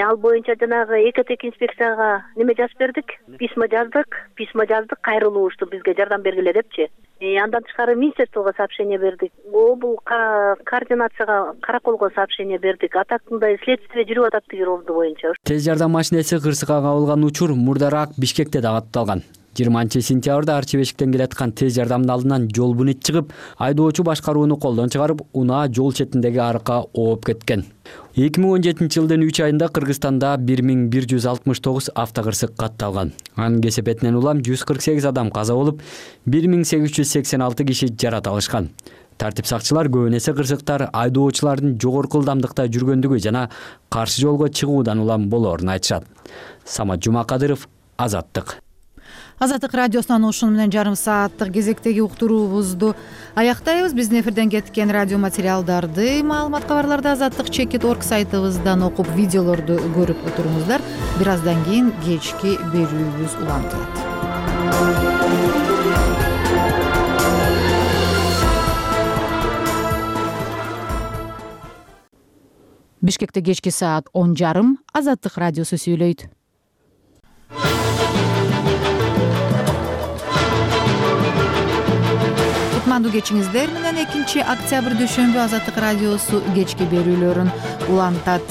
Ал боюнча жанагы экотек инспекцияга неме жазып бердик, письма жаздык, письма жаздык, кайрылушту бизге жардам бергиле депчи. Андан тышкары Министерствого сообщение бердик. Бул координацияга Караколго сообщение бердик. А так мындай следствие жүрүп атат деген орду боюнча. Тез жардам машинеси кырсыкка кабылган учур мурдараак Бишкекте да катталган. жыйырманчы сентябрда арчи бешиктен келаткан тез жардамдын алдынан жол бунит чыгып, айдоочу башкарууну колдон чыгарып, унаа жол четиндеги арыкка ооп кеткен. эки миң он жетинчи жылдын үч айында Кыргызстанда бир миң бир жүз алтымыш тогуз автокырсык катталган. Анын кесепетинен улам жүз кырк сегиз адам каза болуп, бир миң сегиз жүз сексен алты киши жарат алышкан. Тартип сакчылар көбүн эсе кырсыктар айдоочулардын жогорку ылдамдыкта жүргөндүгү жана каршы жолго чыгуудан улам болоорун айтышат. Самат Жумакадыров, Азаттык. Азаттык радиосунан ушуну менен жарым сааттык кезектеги уктуруубузду аяктайбыз. Биздин эфирден кеткен радио материалдарды, маалымат кабарларды азаттык чекит точка орг сайтыбыздан окуп, видеолорду көрүп отуруңуздар. Бир аздан кийин кечки берүүбүз улантылат. Бишкекте кечки саат он жарым, Азаттык радиосу сүйлөйт. Кутмандуу кечиңиздер менен экинчи октябрь дүйшөмбү Азаттык радиосу кечки берүүлөрүн улантат.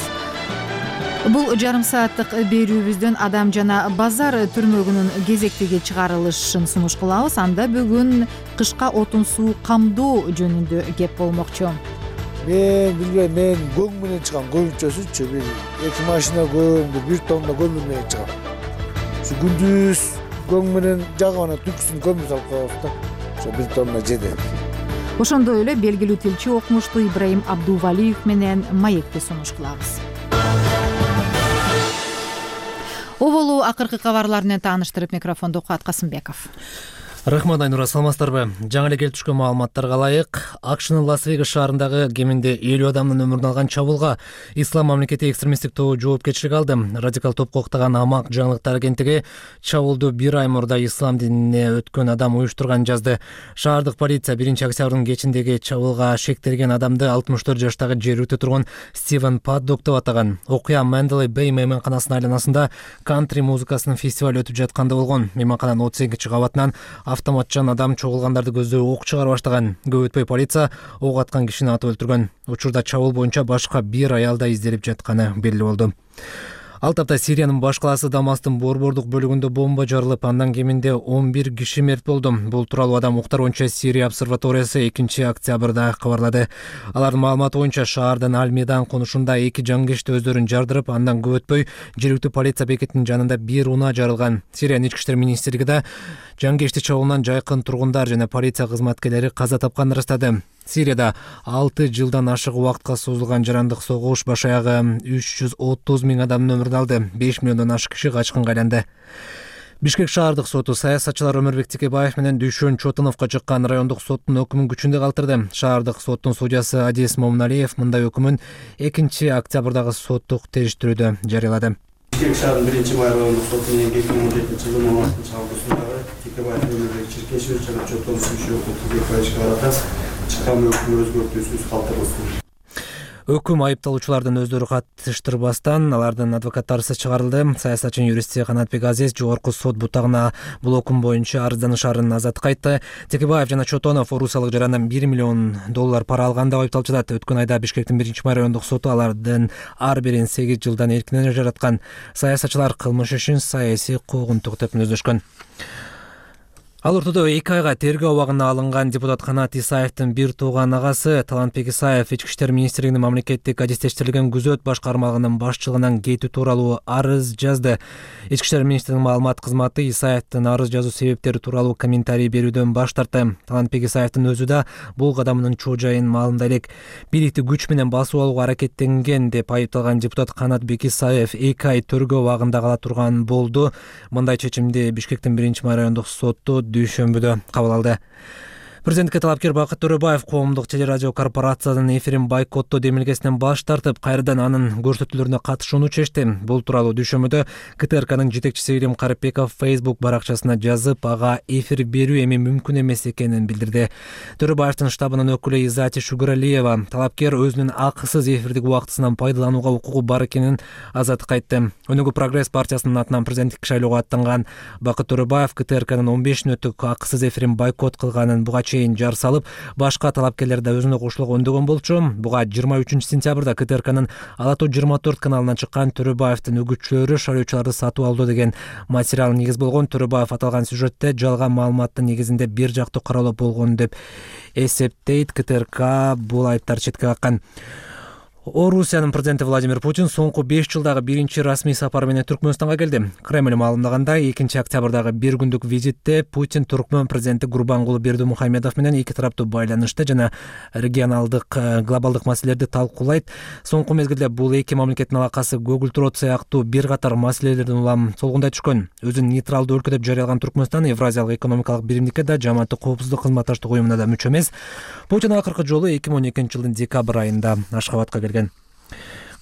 Бул жарым сааттык берүүбүздөн адам жана базар түрмөгүнүн кезектеги чыгарылышын сунуш кылабыз. Анда бүгүн кышка отун суу камдоо жөнүндө кеп болмокчу. Мен билбейм, мен көң менен чыгам, көбүнчөсүчү бир эки машина көң, бир тонна көмүр менен чыгам. Ушу күндүз көң менен жагып анан түнкүсүн көмүр салып коебуз да. Ошо бир тонна жетет. Ошондой эле белгилүү тилчи окумуштуу Ибраим Абдувалиев менен маекти сунуш кылабыз. Оболу акыркы кабарлар менен тааныштырып микрофондо Куат Касымбеков. Рахмат Айнура, саламатсыздарбы? Жаңы эле келип түшкөн маалыматтарга ылайык, АКШнын Лас-Вегас шаарындагы кеминде элүү адамдын өмүрүн алган чабуулга Ислам мамлекети экстремисттик тобу жоопкерчилик алды. Радикал топко уктаган Амак жаңылыктар агенттиги чабуулду бир ай мурда ислам динине өткөн адам уюштурган жазды. Шаардык полиция биринчи октябрдын кечиндеги чабуулга шектелген адамды алтымыш төрт жаштагы жергиликтүү тургун Стивен Паддок деп атаган. Окуя Менделей Бэй мейманканасынын айланасында кантри музыкасынын фестивалы өтүп жатканда болгон. Мейманкананын отуз экинчи кабатынан автоматчан адам чогулгандарды көздөй ок чыгара баштаган. Көп өтпөй полиция ок аткан кишини атып өлтүргөн. Учурда чабуул боюнча башка бир аял да изделип жатканы белгилүү болду. Ал тапта Сириянын баш калаасы Дамастын борбордук бөлүгүндө бомба жарылып, андан кеминде он бир киши мерт болду. Бул тууралуу Адам укуктар боюнча Сирия обсерваториясы экинчи октябрда кабарлады. Алардын маалыматы боюнча шаардын Аль-Мейдан конушунда эки жангечти өздөрүн жардырып, андан көп өтпөй жергиликтүү полиция бекетинин жанында бир унаа жарылган. Сириянын ички иштер министрлиги да жангечти чабуулунан жайкын тургундар жана полиция кызматкерлери каза тапканын ырастады. Сирияда алты жылдан ашык убакытка созулган жарандык согуш баш аягы үч жүз отуз миң адамдын өмүрүн алды. беш миллиондон ашык киши качкынга айланды. Бишкек шаардык соту саясатчылар Өмүрбек Текебаев менен Дүйшөн Чотуновго чыккан райондук соттун өкүмүн күчүндө калтырды. Шаардык соттун судьясы Адис Момуналиев мындай өкүмүн экинчи октябрдагы соттук териштирүүдө жарыялады. Бишкек шаарынын биринчи май райондук соту менен эки миң он жетинчи жылдын он алтынчы августундагы Текебаев Өмүрбек Черкешевич жана Чотонов Сүйшөков Текебаевичке карата чыккан өкүм өзгөртүүсүз калтырылсын. Өкүм айыпталуучулардын өздөрү катыштырбастан алардын адвокаттарысыз чыгарылды. Саясатчы юристи Канатбек Азиз жогорку сот бутагына бул өкүм боюнча арызданышаарын азаттыкка айтты. Текебаев жана Чотонов орусиялык жарандан бир миллион доллар пара алган деп айыпталчулат. Өткөн айда Бишкектин биринчи май райондук соту алардын ар бирин сегиз жылдан эркинен ажыраткан. Саясатчылар кылмыш ишин саясий куугунтук деп мүнөздөшкөн. Ал ортодо эки айга тергөө абагына алынган депутат Канат Исаевдин бир тууган агасы Талантбек Исаев ички иштер министрлигинин мамлекеттик адистештирлигин күзөт баш кармалыгынын башчылыгынан кетүү тууралуу арыз жазды. Ички иштер министринин маалымат кызматы Исаевдин арыз жазуу себептери тууралуу комментарий берүүдөн баш тартты. Талантбек Исаевдин өзү да бул кадамынын чоо жайын маалымдай элек. Бийликти күч менен басып алууга аракеттенген деп айыпталган депутат Канатбек Исаев эки ай тергөө абагында кала турган болду. Мындай чечимди Бишкектин биринчи май райондук соту дүйшөмбүдө кабыл алды. Президентке талапкер Бакыт Төрөбаев коомдук телерадио корпорациянын эфирин бойкоттоо демилгесинен баш тартып, кайрадан анын көрсөтүүлөрүнө катышууну чечти. Бул тууралуу дүйшөмбүдө КТРКнын жетекчиси Ирим Карыпбеков Facebook баракчасына жазып, ага эфир берүү эми мүмкүн эмес экенин билдирди. Төрөбаевдин штабынын өкүлү Изати Шугуралиева талапкер өзүнүн акысыз эфирдик убактысынан пайдаланууга укугу бар экенин азаттыкка айтты. Өнүгүү прогресс партиясынын атынан президенттик шайлоого аттанган Бакыт Төрөбаев КТРКнын он беш мүнөттүк акысыз эфирин бойкот кылганын, буга чейин жар салып, башка талапкерлер да өзүнө кошулууга өндөгөн болчу. Буга жыйырма үчүнчү сентябрда КТРКнын Ала тоо жыйырма төрт каналынан чыккан Төрөбаевдин үгүтчүлөрү шайлоочуларды сатып алды деген материал негиз болгон. Төрөбаев аталган сюжетте жалган маалыматтын негизинде бир жактуу каралуу болгон деп эсептейт. КТРК бул айыптарды четке каккан. Орусиянын президенти Владимир Путин соңку беш жылдагы биринчи расмий сапары менен Түркмөнстанга келди. Кремль маалымдагандай, экинчи октябрдагы бир күндүк визитте Путин Түркмөн президенти Гурбангулы Бердимухамедов менен эки тараптуу байланышты жана регионалдык глобалдык маселелерди талкуулайт. Соңку мезгилде бул эки мамлекеттин алакасы көгүлтүрөт сыяктуу бир катар маселелердин улам солгундай түшкөн. Өзүн нейтралдуу өлкө деп жарыялаган Түркмөнстан Евразиялык экономикалык биримдикке да, жамааттык коопсуздук кызматташтык уюмуна да мүчө эмес. Путин акыркы жолу эки миң он экинчи жылдын декабрь айында Ашхабадка келген.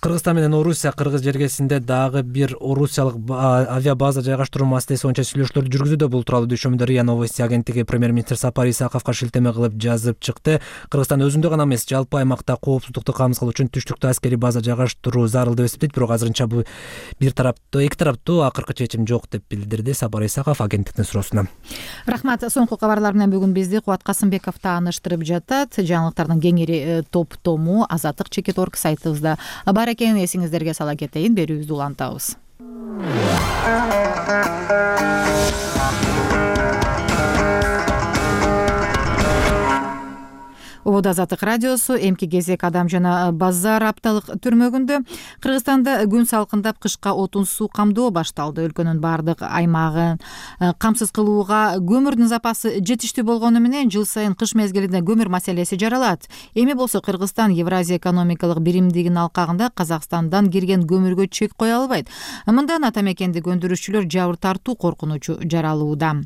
Кыргызстан менен Орусия кыргыз жергесинде дагы бир орусиялык авиабаза жайгаштыруу маселеси боюнча сүйлөшүүлөрдү жүргүзүүдө. Бул тууралуу дүйшөмбүдө РИА Новости агенттиги премьер-министр Сапар Исаковго шилтеме кылып жазып чыкты. Кыргызстан өзүндө гана эмес, жалпы аймакта коопсуздукту камсыз үчүн түштүктө аскерий база жайгаштыруу зарыл деп эсептейт, бирок азырынча бул бир тараптуу эки тараптуу акыркы чечим жок деп билдирди Сапар Исаков агенттиктин суроосуна. Рахмат. Соңку кабарлар менен бүгүн бизди Кубат Касымбеков тааныштырып жатат. Жаңылыктардын кеңири топтому Азаттык чекит орг сайтыбызда бар экенин эсиңиздерге сала кетейин. Берүүбүздү улантабыз. Убуд Азаттык радиосу эмки кезек Адам жана Базар апталык түрмөгүндө. Кыргызстанда күн салкындап, кышка отун суу камдоо башталды. Өлкөнүн бардык аймагын камсыз кылууга көмүрдүн запасы жетиштүү болгону менен жыл сайын кыш мезгилинде көмүр маселеси жаралат. Эми болсо Кыргызстан Евразия экономикалык биримдигинин алкагында Казакстандан кирген көмүргө чек кое албайт. Мындан ата мекендик өндүрүүчүлөр жабыр тартуу коркунучу жаралууда.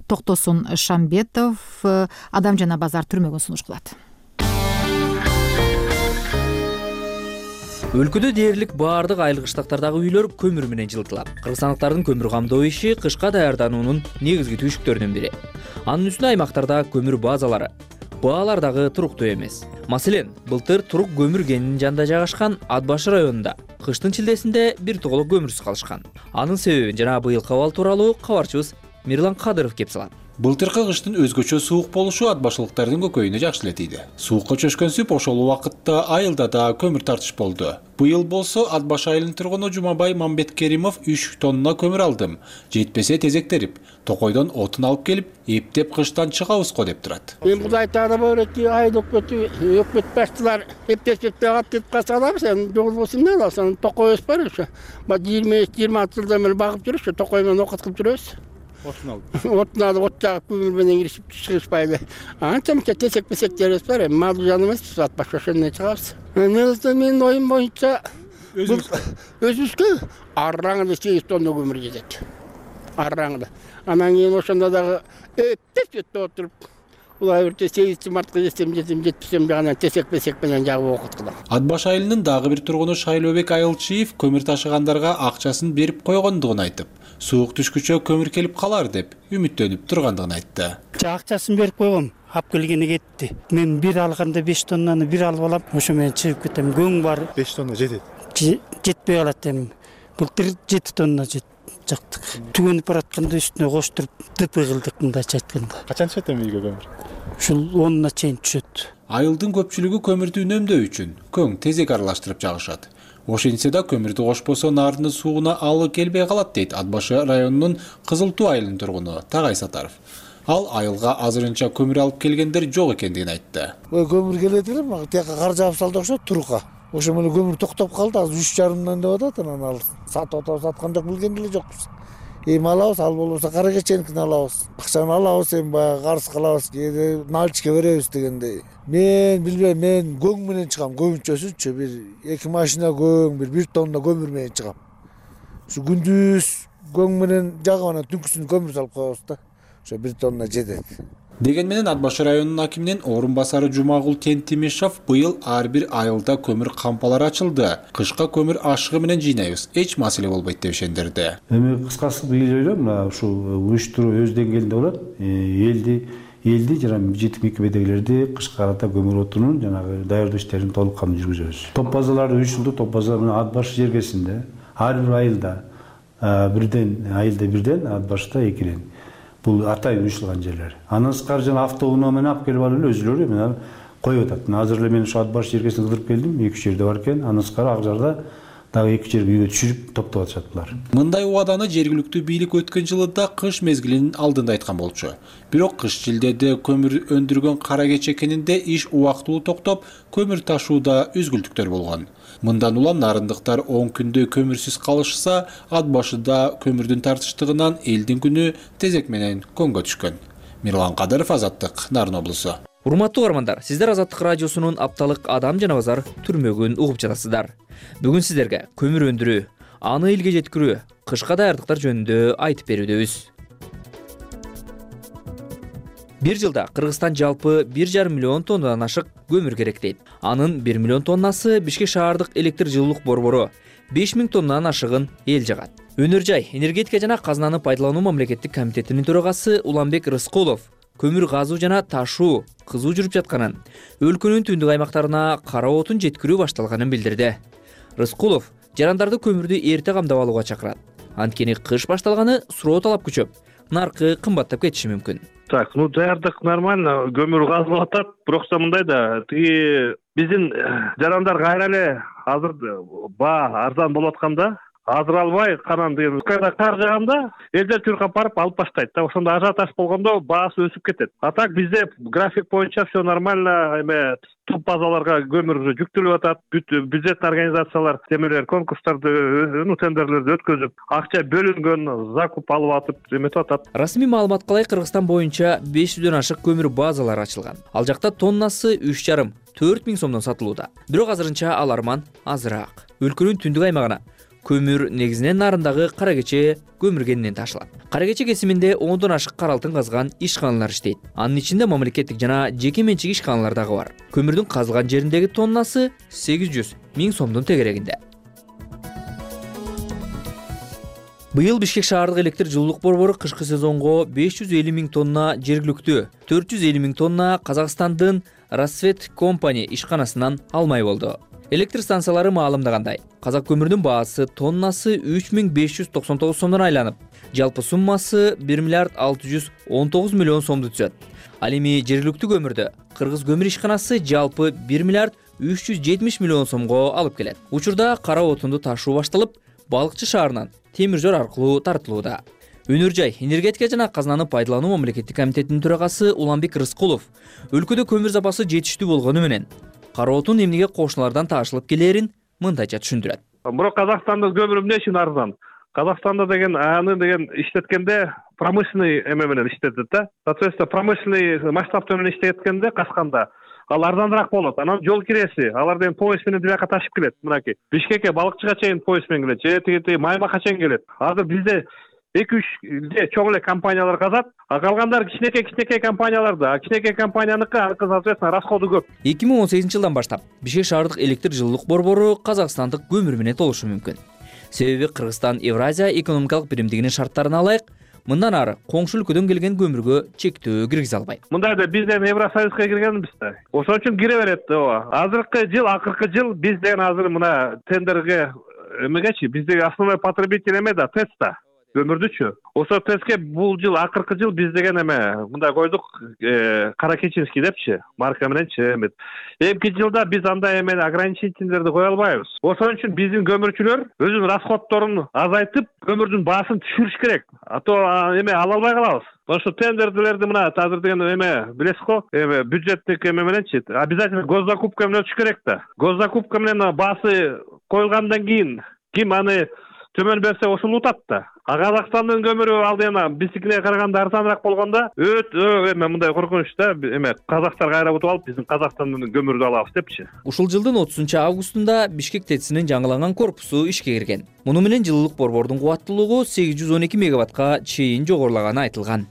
Токтосун Шамбетов Адам жана Базар түрмөгүн сунуш кылат. Өлкөдө дээрлик баардык айыл кыштактардагы үйлөр көмүр менен жылытылат. Кыргызстандыктардын көмүр камдоо иши кышка даярдануунун негизги түйшүктөрүнүн бири. Анын үстүнө аймактарда көмүр базалары, баалар дагы туруктуу эмес. Маселен, былтыр Турук көмүр кенинин жанында жайгашкан Ат башы районунда кыштын чилдесинде бир тоголок көмүрсүз калышкан. Анын себебин жана быйылкы абал тууралуу кабарчыбыз Мирлан Кадыров кеп салат. Былтыркы кыштын өзгөчө суук болушу ат башылыктардын көкөйүнө жакшы эле тийди. Суукка чөшкөн сүп ошол убакытта айылда да көмүр тартыш болду. Быйыл болсо Ат баш айылынын тургуну Жумабай Мамбеткеримов үч тонна көмүр алдым. Жетпесе тезектерип, Токойдон отун алып келип, эптеп кыштан чыгабызго деп турат. Мен Кудай таалап öğretti, айыл өкмөтү, өкмөт баштылар эптеп-эптеп ат касалап, сен жол болсун мен алсаң Токой өс бар ошо. Ба жыйырма жыйырма алты жылдан бери багып жүрүш, Токой менен окут кылып жүрөбүз. Отун алып. Отун алып, от жагып көмүр менен киришип чыгышпайлы. Анчамча тесек-песектерибиз бар, эми мал жан эмес, Ат баш ошондой чыгабыз. Менин оюм боюнча өзүбүзгө арраңда сегиз тонна көмүр жетет. Арраңда. Анан кийин ошондо дагы эптеп отуруп, улай бирте сегизинчи мартка жетсем жетем, жетпесем жана тесек-песек менен жагып окут кылам. Ат баш айылынын дагы бир тургуну Шайлообек Айылчиев көмүр ташыгандарга акчасын берип койгондугун айтып, суук түшкүчө көмүр келип калар деп үмүттөнүп тургандыгын айтты. Акчасын берип койгом, ап келгени кетти. Мен бир алганда беш тоннаны бир алып алам, ошо менен чыгып кетем. Көң бар. беш тонна жетет. Жетпей калат эми. Былтыр жети тонна жет. Жактык. Түгөнүп баратканда үстүнө коштуруп ДП кылдык мындайча айтканда. Качан түшөт эми үйгө көмүр? Ушул онуна чейин түшөт. Айылдын көпчүлүгү көмүрдү үнөмдөө үчүн көң тезек аралаштырып жагышат. Ошентсе да көмүрдү кошпосо нардын сууна алы келбей калат дейт Ат башы районунун Кызыл Туу айылынын тургуну Тагай Сатаров. Ал айылга азырынча көмүр алып келгендер жок экендигин айтты. Көмүр келет эле, мага тияка кар жаап салды окшойт Турукка. Ошо менен көмүр токтоп калды, азыр үч жарымдан деп атат, анан ал сатып атабыз, саткан жок, билген деле жокпуз. Эми алабыз, ал болбосо кара кеченикин алабыз. Акчаны алабыз, эми баягы карыз кылабыз, кээде наличке беребиз дегендей. Мен билбейм, мен көң менен чыгам, көбүнчөсүчү бир эки машина көң, бир бир тонна көмүр менен чыгам. Ушу күндүз көң менен жагып анан түнкүсүн көмүр салып коебуз да. Ошо бир тонна жетет. Деген менен Ат башы районунун акиминин орун басары Жумагул Тентимишов быйыл ар бир айылда көмүр кампалары ачылды. Кышка көмүр ашыгы менен жыйнайбыз, эч маселе болбойт деп ишендирди. Эми кыскасы быйыл ойлойм, мына ушул уюштуруу өз деңгээлинде болот. Элди элди жана жетим мекемедегилерди кышка карата көмүр отунун жанагы даярдоо иштерин толук кам жүргүзөбүз. Топ базаларды үч жылдык топ база менен Ат баш жергесинде ар бир айылда бирден айылда бирден, Ат башта экиден. бул атайын уюштурулган жерлер. Андан сырткары жана автоунаа менен алып келип алып эле өзүлөрү мына коюп атат. Азыр эле мен ушу ат баш жеркесине кыдырып келдим, эки үч жерде бар экен. Андан сырткары ак жарда дагы эки жерге үйгө түшүрүп топтоп атышат булар. Мындай убаданы жергиликтүү бийлик өткөн жылы да кыш мезгилинин алдында айткан болчу. Бирок кыш жилдеде көмүр өндүргөн кара кече кенинде иш убактылуу токтоп, көмүр ташууда үзгүлтүктөр болгон. Мындан улам нарындыктар он күндө көмүрсүз калышса, ат башыда көмүрдүн тартыштыгынан элдин күнү тезек менен көңгө түшкөн. Мирлан Кадыров, Азаттык, Нарын облусу. Урматтуу угармандар, сиздер Азаттык радиосунун апталык Адам жана базар түрмөгүн угуп жатасыздар. Бүгүн сиздерге көмүр өндүрүү, аны элге жеткирүү, кышка даярдыктар жөнүндө айтып берүүдөбүз. Бир жылда Кыргызстан жалпы бир жарым миллион тоннадан ашык көмүр керектейт. Анын бир миллион тоннасы Бишкек шаардык электр жылуулук борбору, беш миң тоннадан ашыгын эл жагат. Өнөр жай, энергетика жана казынаны пайдалануу мамлекеттик комитетинин төрагасы Уланбек Рыскулов көмүр казуу жана ташуу кызуу жүрүп жатканын, өлкөнүн түндүк аймактарына кара отун жеткирүү башталганын билдирди. Рыскулов жарандарды көмүрдү эрте камдап алууга чакырат. Анткени кыш башталганы суроо талап күчөп, наркы кымбаттап кетиши мүмкүн. Так, ну даярдык нормально, көмүр казылып атат, бирок мындай да, тиги биздин жарандар кайра эле азыр баа арзан болуп атканда, азыр албай канан деген кайда кар жааганда элдер түркап барып алып баштайт да, ошондо ажиотаж болгондо баасы өсүп кетет. А так бизде график боюнча все нормально, эме топ базаларга көмүр жүктөлүп атат, бюджеттик организациялар темелер конкурстарды, ну тендерлерди өткөзүп, акча бөлүнгөн, закуп алып атып, эметип атат. Расмий маалыматка ылайык Кыргызстан боюнча беш жүздөн ашык көмүр базалары ачылган. Ал жакта тоннасы үч жарым төрт миң сомдон сатылууда. Бирок азырынча аларман азыраак. Өлкөнүн түндүк аймагына көмүр негизинен нарындагы кара кече көмүр кенинен ташылат. Кара кече кесиминде ондон ашык кара алтын казган ишканалар иштейт. Анын ичинде мамлекеттик жана жеке менчик ишканалар дагы бар. Көмүрдүн казылган жериндеги тоннасы сегиз жүз миң сомдун тегерегинде. Быйыл Бишкек шаардык электр жылуулук борбору кышкы сезонго беш жүз элүү миң тонна жергиликтүү, төрт жүз элүү миң тонна Казакстандын Рассвет компания ишканасынан алмай болду. Электр станциялары маалымдагандай, казак көмүрүнүн баасы тоннасы үч миң беш жүз токсон тогуз сомдон айланып, жалпы суммасы бир миллиард алты жүз он тогуз миллион сомду түзөт. Ал эми жергиликтүү көмүрдү Кыргыз көмүр ишканасы жалпы бир миллиард үч жүз жетимиш миллион сомго алып келет. Учурда кара отунду ташуу башталып, Балыкчы шаарынан темир жол аркылуу тартылууда. Өнөр жай, энергетика жана казынаны пайдалануу мамлекеттик комитетинин төрагасы Уланбек Рыскулов өлкөдө көмүр запасы жетиштүү болгону менен кара отун эмнеге кошуналардан ташылып келээрин мындайча түшүндүрөт. Бирок Казакстандын көмүрү эмне үчүн арзан? Казакстанда деген аны деген иштеткенде промышленный эме менен иштетет да. Соответственно, промышленный масштаб менен иштеткенде Касканда ал арзаныраак болот. Анан жол киреси, алар деген поезд менен бияка ташып келет. Мынакей Бишкекке, Балыкчыга чейин поезд менен келет, же тиги Маймакка чейин келет. Азыр бизде эки үч чоң эле компаниялар казат, а калгандары кичинекей-кичинекей компаниялар да. Кичинекей компанияныкы, соответственно, расходу көп. эки миң он сегизинчи жылдан баштап Бишкек шаардык электр жылуулук борбору Казакстандык көмүр менен толушу мүмкүн. Себеби Кыргызстан Евразия экономикалык биримдигинин шарттарына ылайык мындан ары коңшу өлкөдөн келген көмүргө чектөө киргизе албайт. Мындайда биз эми Евросоюзга киргенбиз да. Ошон үчүн кире берет. Ооба. Азыркы жыл, акыркы жыл биз деген азыр мына тендерге эмегечи, биздеги основной потребитель эме да, ТЭЦ да. Көмүрдүчү. Ошо ТЭЦке бул жыл, акыркы жыл биз деген эме мындай койдук, Каракечинский депчи, марка мененчи эме. Эмки жылда биз андай эме ограничительдерди кое албайбыз. Ошон үчүн биздин көмүрчүлөр өзүнүн расходторун азайтып, көмүрдүн баасын түшүрүш керек. А то эме ала албай калабыз. Ошо тендерлерди мына азыр деген эме билесиз го, эме бюджеттик эме мененчи обязательно госзакупка менен өтүш керек да. Госзакупка менен баасы коюлгандан кийин ким аны төмөн берсе ошол утат да. А Казакстандын көмүрү ал эми биздикине караганда арзаныраак болгондо өтө эме мындай коркунуч да, эме казактар кайра утуп алып биздин Казакстандын көмүрүн алабыз депчи. Ушул жылдын отузунчу августунда Бишкек ТЭЦинин жаңыланган корпусу ишке кирген. Муну менен жылуулук борбордун кубаттуулугу сегиз жүз он эки мегаваттка чейин жогорулаганы айтылган.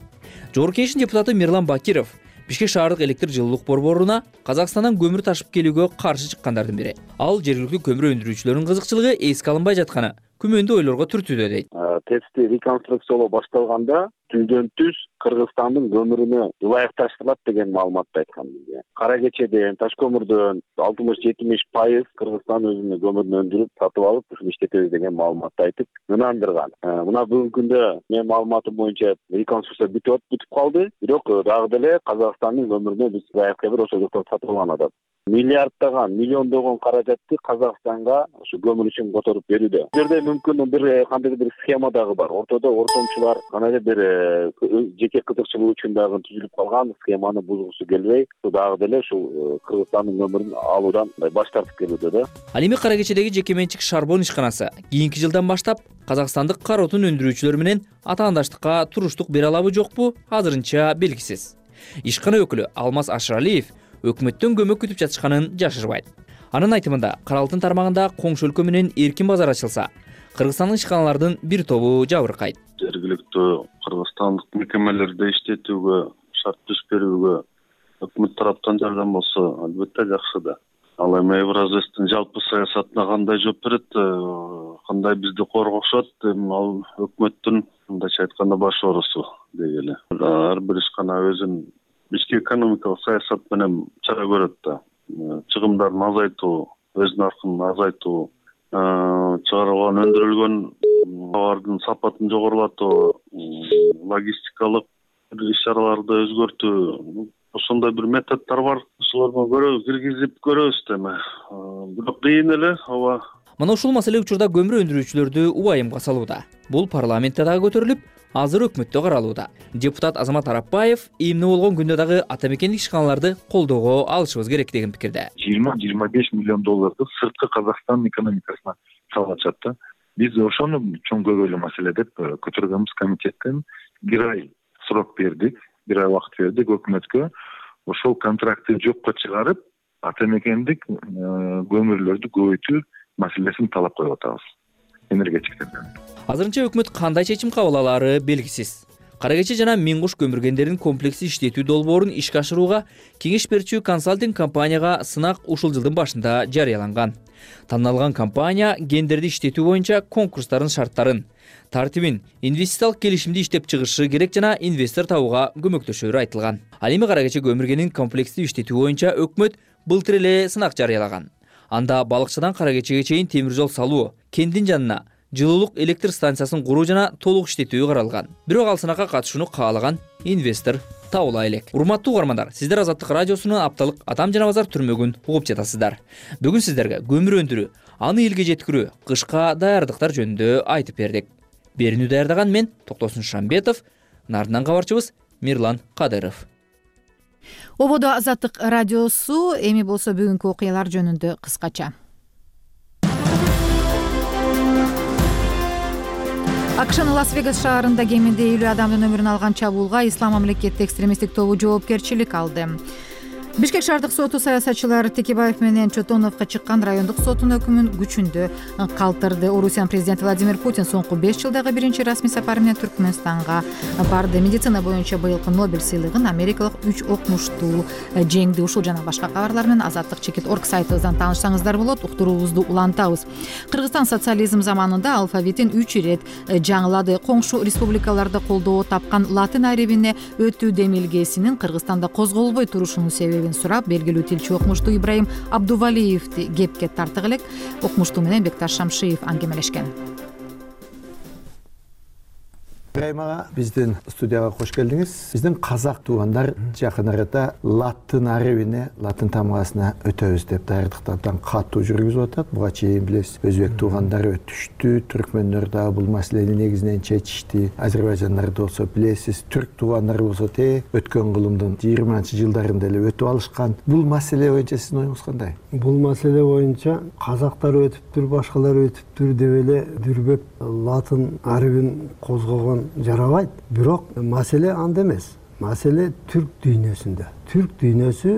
Жогорку Кеңештин депутаты Мирлан Бакиров Бишкек шаардык электр жылуулук борборуна Казакстандан көмүр ташып келүүгө каршы чыккандардын бири. Ал жергиликтүү көмүр өндүрүүчүлөрдүн кызыкчылыгы эске алынбай жатканы күмөндүү ойлорго түртүүдө дейт. ТЭЦти реконструкциялоо башталганда түздөн түз Кыргызстандын көмүрүнө ылайыкташтырылат деген маалыматты айткан бизге. Кара кечеден, таш көмүрдөн алтымыш жетимиш пайыз Кыргызстан өзүнүн көмүрүн өндүрүп, сатып алып, ушуну иштетебиз деген маалыматты айтып, ынандырган. Мына бүгүнкү күндө менин маалыматым боюнча реконструкция бүтүп бүтүп калды, бирок дагы деле Казакстандын көмүрүнө биз ылайыкка бир ошол жактан сатып алган атат. Миллиарддаган, миллиондогон каражатты Казакстанга ушу көмүр үчүн которуп берүүдө. Бул жерде мүмкүн бир кандайдыр бир схема дагы бар. Ортодо ортомчулар кандайдыр бир жеке кызыкчылык үчүн дагы түзүлүп калган схеманы бузгусу келбей, дагы деле ушул Кыргызстандын көмүрүн алуудан баш тартып келүүдө да. Ал эми Кара кечедеги жеке менчик Шарбон ишканасы кийинки жылдан баштап казакстандык кара отун өндүрүүчүлөр менен атаандаштыкка туруштук бере алабы жокпу азырынча белгисиз. Ишкана өкүлү Алмаз Ашыралиев өкмөттөн көмөк күтүп жатышканын жашырбайт. Анын айтымында Кара Алтын тармагында коңшу өлкө менен эркин базар ачылса, Кыргызстандын ишканалардын бир тобу жабыркайт. Жергиликтүү кыргызстандык мекемелерде иштетүүгө, шарт түз берүүгө өкмөт тараптан жардам болсо, албетте жакшы да. Ал эми Евразэстин жалпы саясатына кандай жооп берет, кандай бизди коргошот, ал өкмөттүн мындайча айтканда баш оорусу дегеле. Ар бир ишкана өзүнүн ички экономикалык саясат менен чара көрөт да. Чыгымдарын азайтуу, өз наркын азайтуу, чыгарылган өндүрүлгөн товардын сапатын жогорулатуу, логистикалык иш-чараларды өзгөртүү, ошондой бир методдор бар. Ошолорду көрөбүз, киргизип көрөбүз деме. Бирок кыйын эле, ооба. Мына ушул маселе учурда көмүр өндүрүүчүлөрдү убайымга салууда. Бул парламентте дагы көтөрүлүп, азыр өкмөттө каралууда. Депутат Азамат Арапбаев эмне болгон күндө дагы ата мекендик ишканаларды колдоого алышыбыз керек деген пикирде. жыйырма жыйырма беш миллион долларды сырткы Казакстан экономикасына салып атышат да. Биз ошону чоң көбөлүү маселе деп көтөргөнбүз комитеттен. Бир ай срок бердик, бир ай убакыт бердик өкмөткө. Ошол контрактты жокко чыгарып, ата мекендик көмүрлөрдү көбөйтүү маселесин талап коюп атабыз энергетиктерден. Азырынча өкмөт кандай чечим кабыл алаары белгисиз. Кара кече жана Миңгуш көмүргендердин комплекси иштетүү долбоорун ишке ашырууга кеңеш берүүчү консалтинг компанияга сынак ушул жылдын башында жарыяланган. Танылган компания гендерди иштетүү боюнча конкурстардын шарттарын, тартибин, инвестициялык келишимди иштеп чыгышы керек жана инвестор табууга көмөктөшөрү айтылган. Ал эми Кара кече көмүргенин комплекстүү иштетүү боюнча өкмөт былтыр эле сынак жарыялаган. Анда балыкчыдан Кара кечеге чейин темир жол салуу, кенттин жанына жылуулук электр станциясын куруу жана толук иштетүү каралган. Бирок ал сынакка катышууну каалаган инвестор табыла элек. Урматтуу угармандар, сиздер Азаттык радиосунун апталык Атам жана Базар түрмөгүн угуп жатасыздар. Бүгүн сиздерге көмүр өндүрүү, аны элге жеткирүү, кышка даярдыктар жөнүндө айтып бердик. Берүүнү даярдаган мен Токтосун Шамбетов, нардынан кабарчыбыз Мирлан Кадыров. Ободо Азаттык радиосу, эми болсо бүгүнкү окуялар жөнүндө кыскача. АКШнын Лас-Вегас шаарында кеминде элүү адамдын өмүрүн алган чабуулга Ислам мамлекети экстремисттик тобу жоопкерчилик алды. Бишкек шаардык соту саясатчылар Текебаев менен Чотоновго чыккан райондук соттун өкүмүн күчүндө калтырды. Орусиянын президенти Владимир Путин соңку беш жылдагы биринчи расмий сапары менен Түркмөнстанга барды. Медицина боюнча быйылкы Нобель сыйлыгын америкалык үч окумуштуу жеңди. Ушул жана башка кабарлар менен Азаттык чекит орг сайтыбыздан таанышсаңыздар болот. Уктуруубузду улантабыз. Кыргызстан социализм заманында алфавитин үч ирет жаңылады. Коңшу республикаларда колдоо тапкан латын арибине өтүү демилгесинин Кыргызстанда козголбой турушунун себеби сурап, белгилүү тилчи окумуштуу Ибраим Абдувалиевди кепке тартык элек. Окумуштуу менен Бекташ Шамшиев аңгемелешкен. Ибраим ага, биздин студияга кош келдиңиз. Биздин казак туугандар жакын арада латын арибине, латын тамгасына өтөбүз деп даярдыктардан катуу жүргүзүп атат. Буга чейин билесиз, өзбек туугандары өтүштү, түркмөндөр да бул маселени негизинен чечишти. Азербайжандарды болсо билесиз, түрк туугандары болсо те өткөн кылымдын жыйырманчы жылдарында эле өтүп алышкан. Бул маселе боюнча сиздин оюңуз кандай? Бул маселе боюнча казактар өтүптүр, башкалар өтүптүр деп эле дүрбөп латын арибин козгогон жарабайт. Бирок маселе анда эмес. Маселе түрк дүйнөсүндө. Түрк дүйнөсү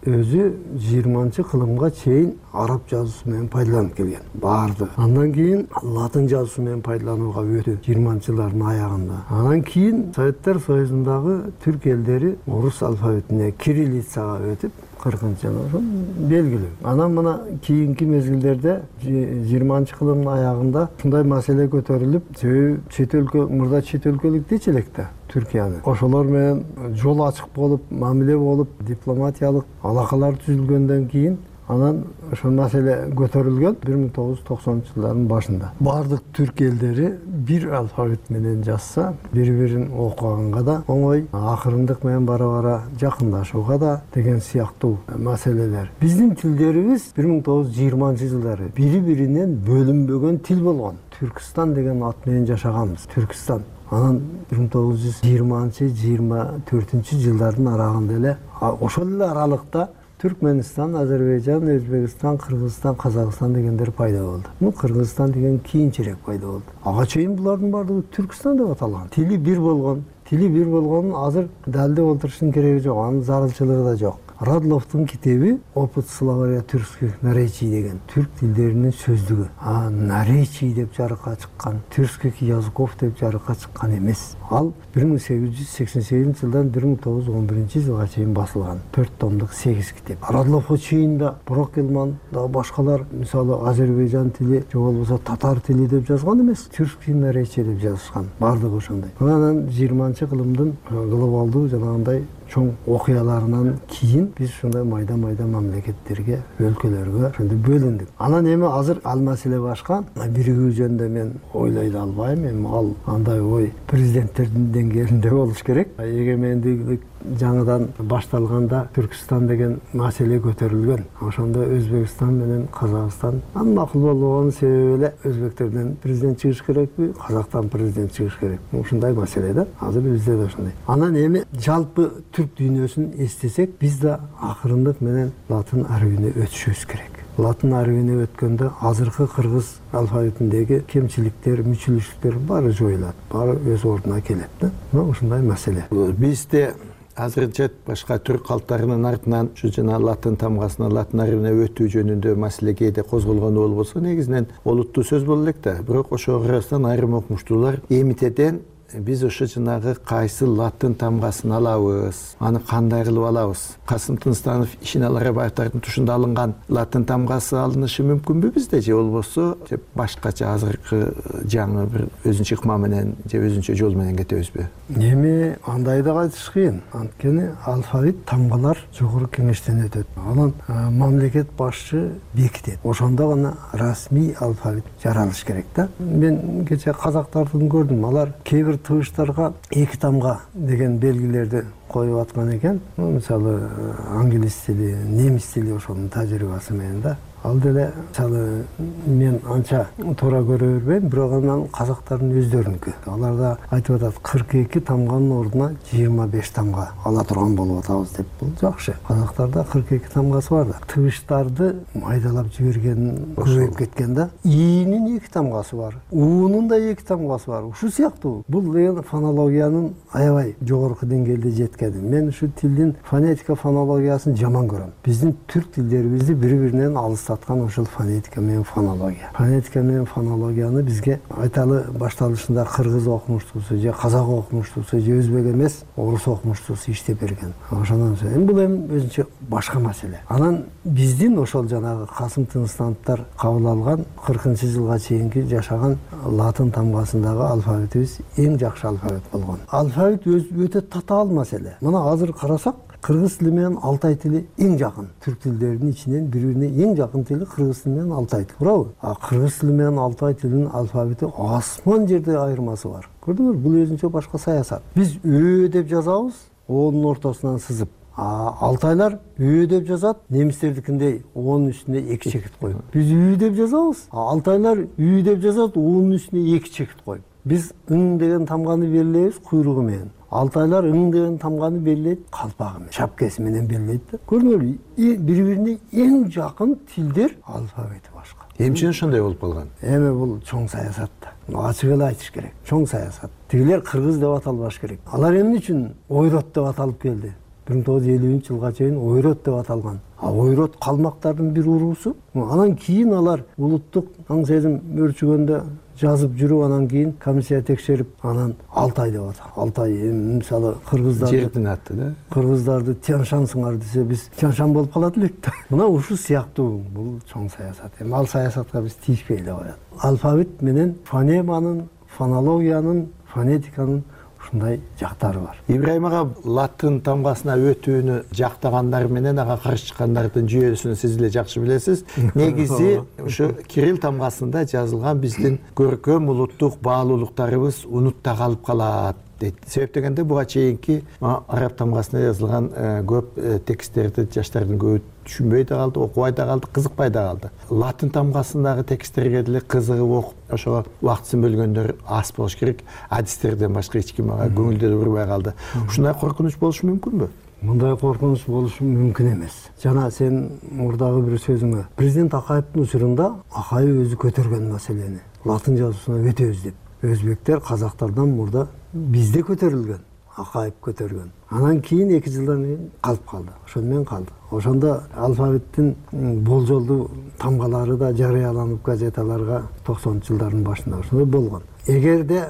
өзү жыйырманчы кылымга чейин араб жазуусу менен пайдаланып келген. Барды. Андан кийин латын жазуусу менен пайдаланууга өтү жыйырманчы жылдардын аягында. Андан кийин Советтер Союзундагы түрк элдери орус алфавитине, кириллицага өтүп, кыркынчы жыл ошо белгилүү. Анан мына кийинки мезгилдерде жыйырманчы кылымдын аягында ушундай маселе көтөрүлүп, себеби чет өлкө мурда чет өлкөлүк дечи элек да Түркияны. Ошолор менен жол ачык болуп, мамиле болуп, дипломатиялык алакалар түзүлгөндөн кийин анан ошол маселе көтөрүлгөн бир миң тогуз жүз токсонунчу жылдардын башында. Бардык түрк элдери бир алфавит менен жазса, бири-бирин окуганга да оңой, акырындык менен бара-бара жакындашууга да деген сыяктуу маселелер. Биздин тилдерибиз бир миң тогуз жүз жыйырманчы жылдары бири-биринен бөлүнбөгөн тил болгон. Түркстан деген ат менен жашаганбыз. Түркстан. Анан бир миң тогуз жүз жыйырманчы жыйырма төртүнчү жылдардын аралыгында эле ошол эле аралыкта Түркменистан, Азербайжан, Өзбекстан, Кыргызстан, Казакстан дегендер пайда болду. Ну, Кыргызстан деген кийинчерээк пайда болду. Ага чейин булардын баардыгы Түркстан деп аталган. Тили бир болгон, тили бир болгонун азыр далилдеп олтуруштун кереги жок, анын зарылчылыгы да жок. Радловдун китеби Опыт словаря тюркских наречий деген түрк тилдеринин сөздүгү. А наречий деп жарыкка чыккан, тюркских языков деп жарыкка чыккан эмес. Ал бир миң сегиз жүз сексен сегизинчи жылдан бир миң тогуз жүз он биринчи жылга чейин басылган төрт томдук сегиз китеп. Радловго чейин да Бурак Элман да башкалар, мисалы Азербайжан тили же болбосо татар тили деп жазган эмес, тюркский наречий деп жазышкан. Бардыгы ошондой. Анан жыйырманчы кылымдын глобалдуу жанагындай чоң окуяларынан кийин биз ушундай майда-майда мамлекеттерге, өлкөлөргө ошондой бөлүндүк. Анан эми азыр ал маселе башка. Биригүү жөнүндө мен ойлой да албайм. Эми ал андай ой президенттердин деңгээлинде болуш керек. Эгемендик жаңыдан башталганда Түркстан деген маселе көтөрүлгөн. Ошондо Өзбекстан менен Казакстан анын макул болгон себеби эле өзбектерден президент чыгыш керекпи, Казактан президент чыгыш керекпи? Ушундай маселе да. Азыр бизде да ошондой. Анан эми жалпы түрк дүйнөсүн эстесек, биз да акырындык менен латын арабине өтүшүбүз керек. Латын арабине өткөндө азыркы кыргыз алфавитиндеги кемчиликтер, мүчүлүштүктөр баары жоюлат, баары өз ордуна келет да. Мына ушундай маселе. Бизде азырынча башка түрк калктарынын артынан ушу жана латын тамгасына, латын арабине өтүү жөнүндө маселе кээде козголгон болбосо, негизинен олуттуу сөз боло элек да. Бирок ошого карабастан айрым окумуштуулар эмитеден биз ошо жанагы кайсы латын тамгасын алабыз, аны кандай кылып алабыз? Касым Тынстанов, Ишеналы Арабаевдардын тушунда алынган латын тамгасы алынышы мүмкүнбү бизде, же болбосо же башкача азыркы жаңы бир өзүнчө ыкма менен же өзүнчө жол менен кетебизби? Эми андай да айтыш кыйын. Анткени алфавит тамгалар жогорку кеңештен өтөт. Анан мамлекет башчы бекитет. Ошондо гана расмий алфавит жаралыш керек да. Мен кече казактардын көрдүм. Алар кээ бир тыбыштарга эки тамга деген белгилерди коюп аткан экен. Мисалы англис тили, немис тили ошонун тажрыйбасы менен да. Ал деле мисалы мен анча туура көрө бербейм, бирок анан казактардын өздөрүнүкү. Алар да айтып атат, кырк эки тамганын ордуна жыйырма беш тамга ала турган болуп атабыз деп. Бул жакшы. Казактарда кырк эки тамгасы бар да. Тыбыштарды майдалап жиберген көбөйүп кеткен да. Иинин эки тамгасы бар. Уунун да эки тамгасы бар. Ушул сыяктуу. Бул деген фонологиянын аябай жогорку деңгээлде жеткени. Мен ушу тилдин фонетика фонологиясын жаман көрөм. Биздин түрк тилдерибизди бири-биринен алыс аткан ошол фонетика менен фонология. Фонетика менен фонологияны бизге айталы башталышында кыргыз окумуштуусу же казак окумуштуусу же өзбек эмес, орус окумуштуусу иштеп берген. Ошондон соң эми бул эми өзүнчө башка маселе. Анан биздин ошол жанагы Касым Тынстановдор кабыл алган кыркынчы жылга чейинки жашаган латын тамгасындагы алфавитибиз эң жакшы алфавит болгон. Алфавит өтө татаал маселе. Мына азыр карасак, кыргыз тили менен алтай тили эң жакын. Түрк тилдеринин ичинен бири-бирине эң жакын тили кыргыз тили менен алтай тили. Туурабы? А кыргыз тили менен алтай тилинин алфавити асман жерде айырмасы бар. Көрдүңүзбү? Бул өзүнчө башка саясат. Биз ө деп жазабыз, оонун ортосунан сызып. А алтайлар ө деп жазат, немистердикиндей оонун үстүнө эки чекит коюп. Биз үй деп жазабыз, а алтайлар үй деп жазат, оонун үстүнө эки чекит коюп. Биз ың деген тамганы белгилейбиз куйругу менен. Алтайлар ың деген тамганы белгилейт калпагы менен, шапкасы менен белгилейт да. Көрдүңүзбү? Бири-бирине эң жакын тилдер алфавити башка. Эмче ошондой болуп калган? Эми бул чоң саясат да. Ачык эле айтыш керек. Чоң саясат. Тигилер кыргыз деп аталбаш керек. Алар эмне үчүн ойрот деп аталып келди? бир миң тогуз жүз элүүнчү жылга чейин ойрот деп аталган. А ойрот калмактардын бир уруусу. Анан кийин алар улуттук аң сезим өрчүгөндө жазып жүрүп, анан кийин комиссия текшерип, анан Алтай деп атат. Алтай мисалы кыргыздар жердин аты да. Кыргыздарды Тяншансыңар десе, биз Тяншан болуп калат элек да. Мына ушул сыяктуу бул чоң саясат. Эми ал саясатка биз тийишпей эле коет. Алфавит менен фонеманын, фонологиянын, фонетиканын ушундай жактары бар. Ибраим ага латын тамгасына өтүүнү жактагандар менен ага каршы чыккандардын жүйөсүн сиз эле жакшы билесиз. Негизи ушу кирилл тамгасында жазылган биздин көркөм улуттук баалуулуктарыбыз унутта калып калат дейт. Себеп дегенде буга чейинки араб тамгасында жазылган көп тексттерди жаштардын көбү түшүнбөй да калды, окубай да калды, кызыкпай да калды. Латын тамгасындагы тексттерге деле кызыгып окуп, ошого убактысын бөлгөндөр аз болуш керек. Адистерден башка эч ким ага көңүлдө урбай калды. Ушундай коркунуч болушу мүмкүнбү? Мындай коркунуч болушу мүмкүн эмес. Жана сен мурдагы бир сөзүңө президент Акаевдин учурунда Акаев өзү көтөргөн маселени латын жазуусуна өтөбүз деп. Өзбектер, казактардан мурда бизде көтөрүлгөн, Акаев көтөргөн. Анан кийин эки жылдан кийин калып калды. Ошону менен калды. Ошондо алфавиттин болжолдуу тамгалары да жарыяланып газеталарга токсонунчу жылдардын башында ошондой болгон. Эгерде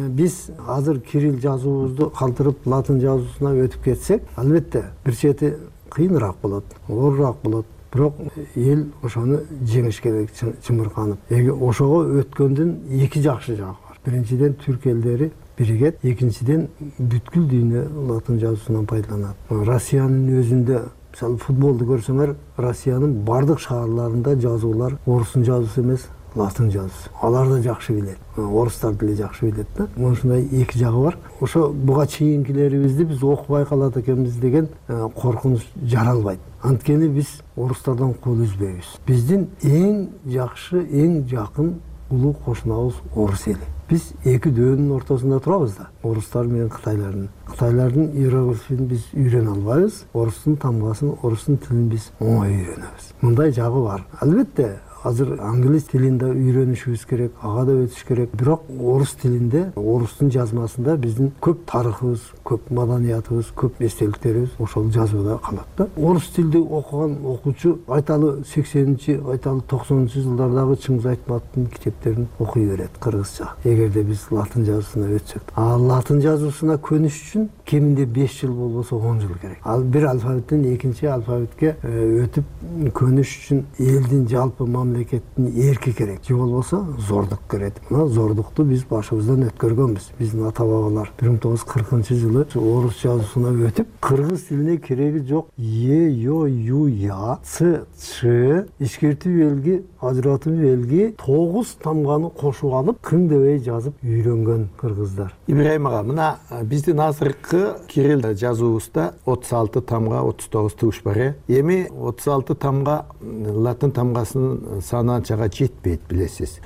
биз азыр кирилл жазуубузду калтырып латын жазуусуна өтүп кетсек, албетте бир чети кыйыныраак болот, оорураак болот. Бирок эл ошону жеңиш керек чымырканып. Эги ошого өткөндүн эки жакшы жагы бар. Биринчиден түрк элдери биригет, экинчиден бүткүл дүйнө латын жазуусунан пайдаланат. Россиянын өзүндө мисалы футболду көрсөңөр, Россиянын бардык шаарларында жазуулар орустун жазуусу эмес, латын жазуусу. Алар да жакшы билет. Орустар деле жакшы билет да. Ушундай эки жагы бар. Ошо буга чейинкилерибизди биз окубай калат экенбиз деген коркунуч жаралбайт. Анткени биз орустардан кол үзбөйбүз. Биздин эң жакшы, эң жакын улуу кошунабыз орус эли. Биз эки дөөнүн ортосунда турабыз да. Орустар менен кытайлардын. Кытайлардын иероглифин биз үйрөнө албайбыз. Орустун тамгасын, орустун тилин биз оңой үйрөнөбүз. Мындай жагы бар. Албетте азыр англис тилинде үйрөнүшүбүз керек, ага да өтүш керек. Бирок орус тилинде, орустун жазмасында биздин көп тарыхыбыз, көп маданиятыбыз, көп эстеликтерибиз ошол жазууда калат да. Орус тилди окуган окуучу айталы сексенинчи, айталы токсонунчу жылдардагы Чыңгыз Айтматовдун китептерин окуй берет кыргызча. Эгерде биз латын жазуусуна өтсөк, а латын жазуусуна көнүш үчүн кеминде беш жыл болбосо он жыл керек. Ал бир алфавиттен экинчи алфавитке өтүп көнүш үчүн элдин жалпы мамлекеттин эрки керек. Же болбосо зордук керек. Мына зордукту биз башыбыздан өткөргөнбүз. Биздин ата бабалар бир миң тогуз жүз кыркынчы жылы орус жазуусуна өтүп, кыргыз тилине кереги жок е, ё, ю, я, ц, ч, ишкертүү белги, ажыратуу белги тогуз тамганы кошуп алып, кың дебей жазып үйрөнгөн кыргыздар. Ибраим ага, мына биздин азыркы кирилл жазуубузда отуз алты тамга, отуз тогуз тугуш бар. Эми отуз алты тамга латын тамгасынын саны анчага жетпейт, билесиз.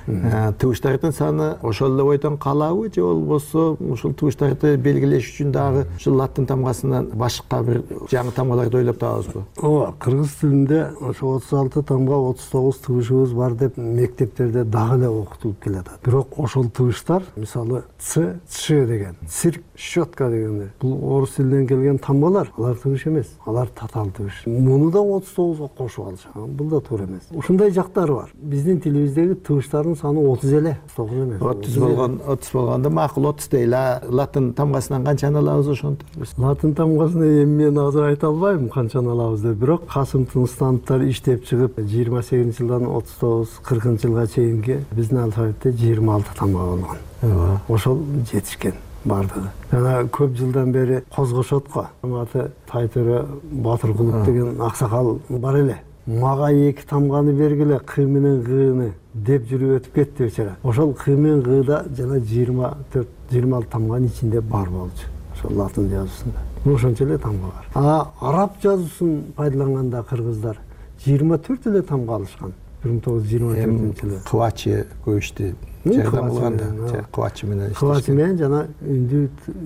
Тугуштардын саны ошол эле бойдон калабы, же болбосо ушул тугуштарды белгилеш үчүн дагы ушул латын тамгасынан башка бир жаңы тамгаларды ойлоп табабызбы? Ооба, кыргыз тилинде ошо отуз алты тамга, отуз тогуз тыгышыбыз бар деп мектептерде дагы эле окутулуп келатат. Бирок ошол тыгыштар, мисалы ц, ч деген, цирк, щетка дегендер, бул орус тилинен келген тамгалар, алар тыгыш эмес, алар татаал тыгыш. Муну да отуз тогузга кошуп алышат. Бул да туура эмес. Ушундай жактары бар. Биздин тилибиздеги тыгыштардын саны отуз эле, тогуз эмес. отуз болгон, отуз болгондо макул отуз дейли. Латын тамгасынан канчаны алабыз ошонтип? Латын тамгасына эми мен азыр айта албайм канчаны алабыз деп. Бирок Касым Тыныстановдор иштеп чыгып, жыйырма сегизинчи жылдан отуз тогуз кыркынчы жылга чейинки биздин алфавитте жыйырма алты тамга болгон. Ошол жетишкен бардыгы. Жана көп жылдан бери Козгошотко аты Тайтөре Батыркулов деген аксакал бар эле. Мага эки тамганы бергиле, кы менен гыны деп жүрүп өтүп кетти бечара. Ошол кы менен гыда жана жыйырма төрт жыйырма алты тамганын ичинде бар болчу. Ошол латын жазуусунда. Ошончо эле тамга бар. А араб жазуусун пайдаланганда кыргыздар жыйырма төрт эле тамга алышкан. бир миң тогуз жүз жыйырма төртүнчү жылы. Кыбачы көчтү. Жардам кылганда, кыбачы менен иштешкен. Кыбачы менен жана үндүү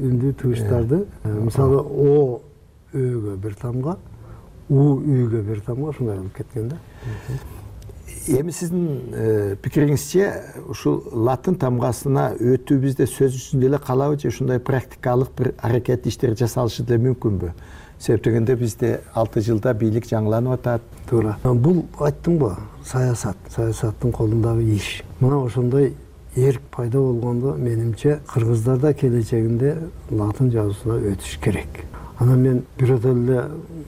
үндүү тыгыштарды, мисалы о өгө бир тамга, у үйгө бир тамга ушундай болуп кеткен да. Эми сиздин пикириңизче ушул латын тамгасына өтүү бизде сөз жүзүндө эле калабы, же ушундай практикалык бир аракет иштер жасалышы деле мүмкүнбү? себеп дегенде бизде алты жылда бийлик жаңыланып атат. Туура. Бул айттымбы, саясат, саясаттын колундагы иш. Мына ошондой эрк пайда болгондо менимче кыргыздарда келечегинде латын жазуусуна өтүш керек. Анан мен бирөөдөн эле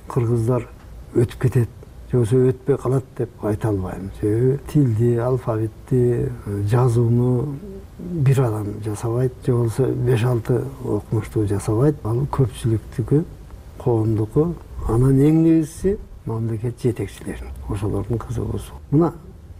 кыргыздар өтүп кетет, же болбосо өтпөй калат деп айта албайм. Себеби тилди, алфавитти, жазууну бир адам жасабайт, же болбосо беш алты окумуштуу жасабайт. Ал көпчүлүктүкү, коомдуку, анан эң негизгиси мамлекет жетекчилерин, ошолордун кызыгуусу. Мына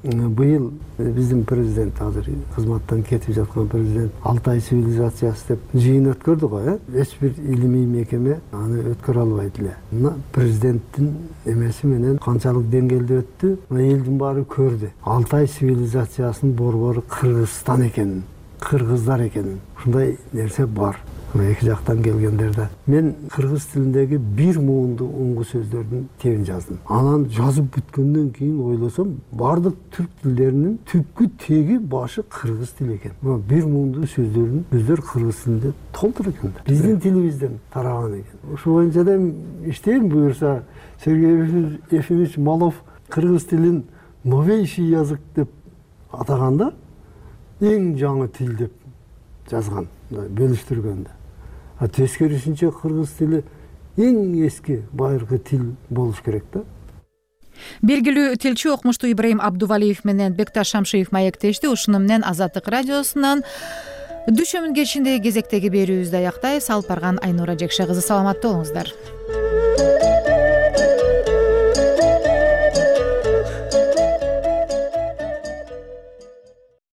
быйыл биздин президент, азыр кызматтан кетип жаткан президент Алтай цивилизациясы деп жыйын өткөрдү го, э? Эч бир илимий мекеме аны өткөрө албайт эле. Мына президенттин эмеси менен канчалык деңгээлде өттү, мына элдин баары көрдү. Алтай цивилизациясынын борбору Кыргызстан экенин, кыргыздар экенин. Ушундай нерсе бар. Эки жактан келгендерде мен кыргыз тилиндеги бир муунду уңгу сөздөрдүн тебин жаздым. Анан жазып бүткөндөн кийин ойлосом, бардык түрк тилдеринин түпкү теги башы кыргыз тили экен. Мына бир муунду сөздөрдүн сөздөр кыргыз тилинде толтур экен. Биздин тилибизден тараган экен. Ошол боюнча да иштейм буюрса, Сергей Ефимович Малов кыргыз тилин новейший язык деп атаганда, эң жаңы тил деп жазган, бөлүштүргөндө. А тескерисинче кыргыз тили эң эски байыркы тил болуш керек да. Белгилүү тилчи окумуштуу Ибраим Абдувалиев менен Бекташ Шамшиев маектешти. Ушуну менен Азаттык радиосунан Дүшөмүн кечиндеги кезектеги берүүбүздү аяктайбыз. Алып барган Айнура Жекше кызы, саламатта болуңуздар.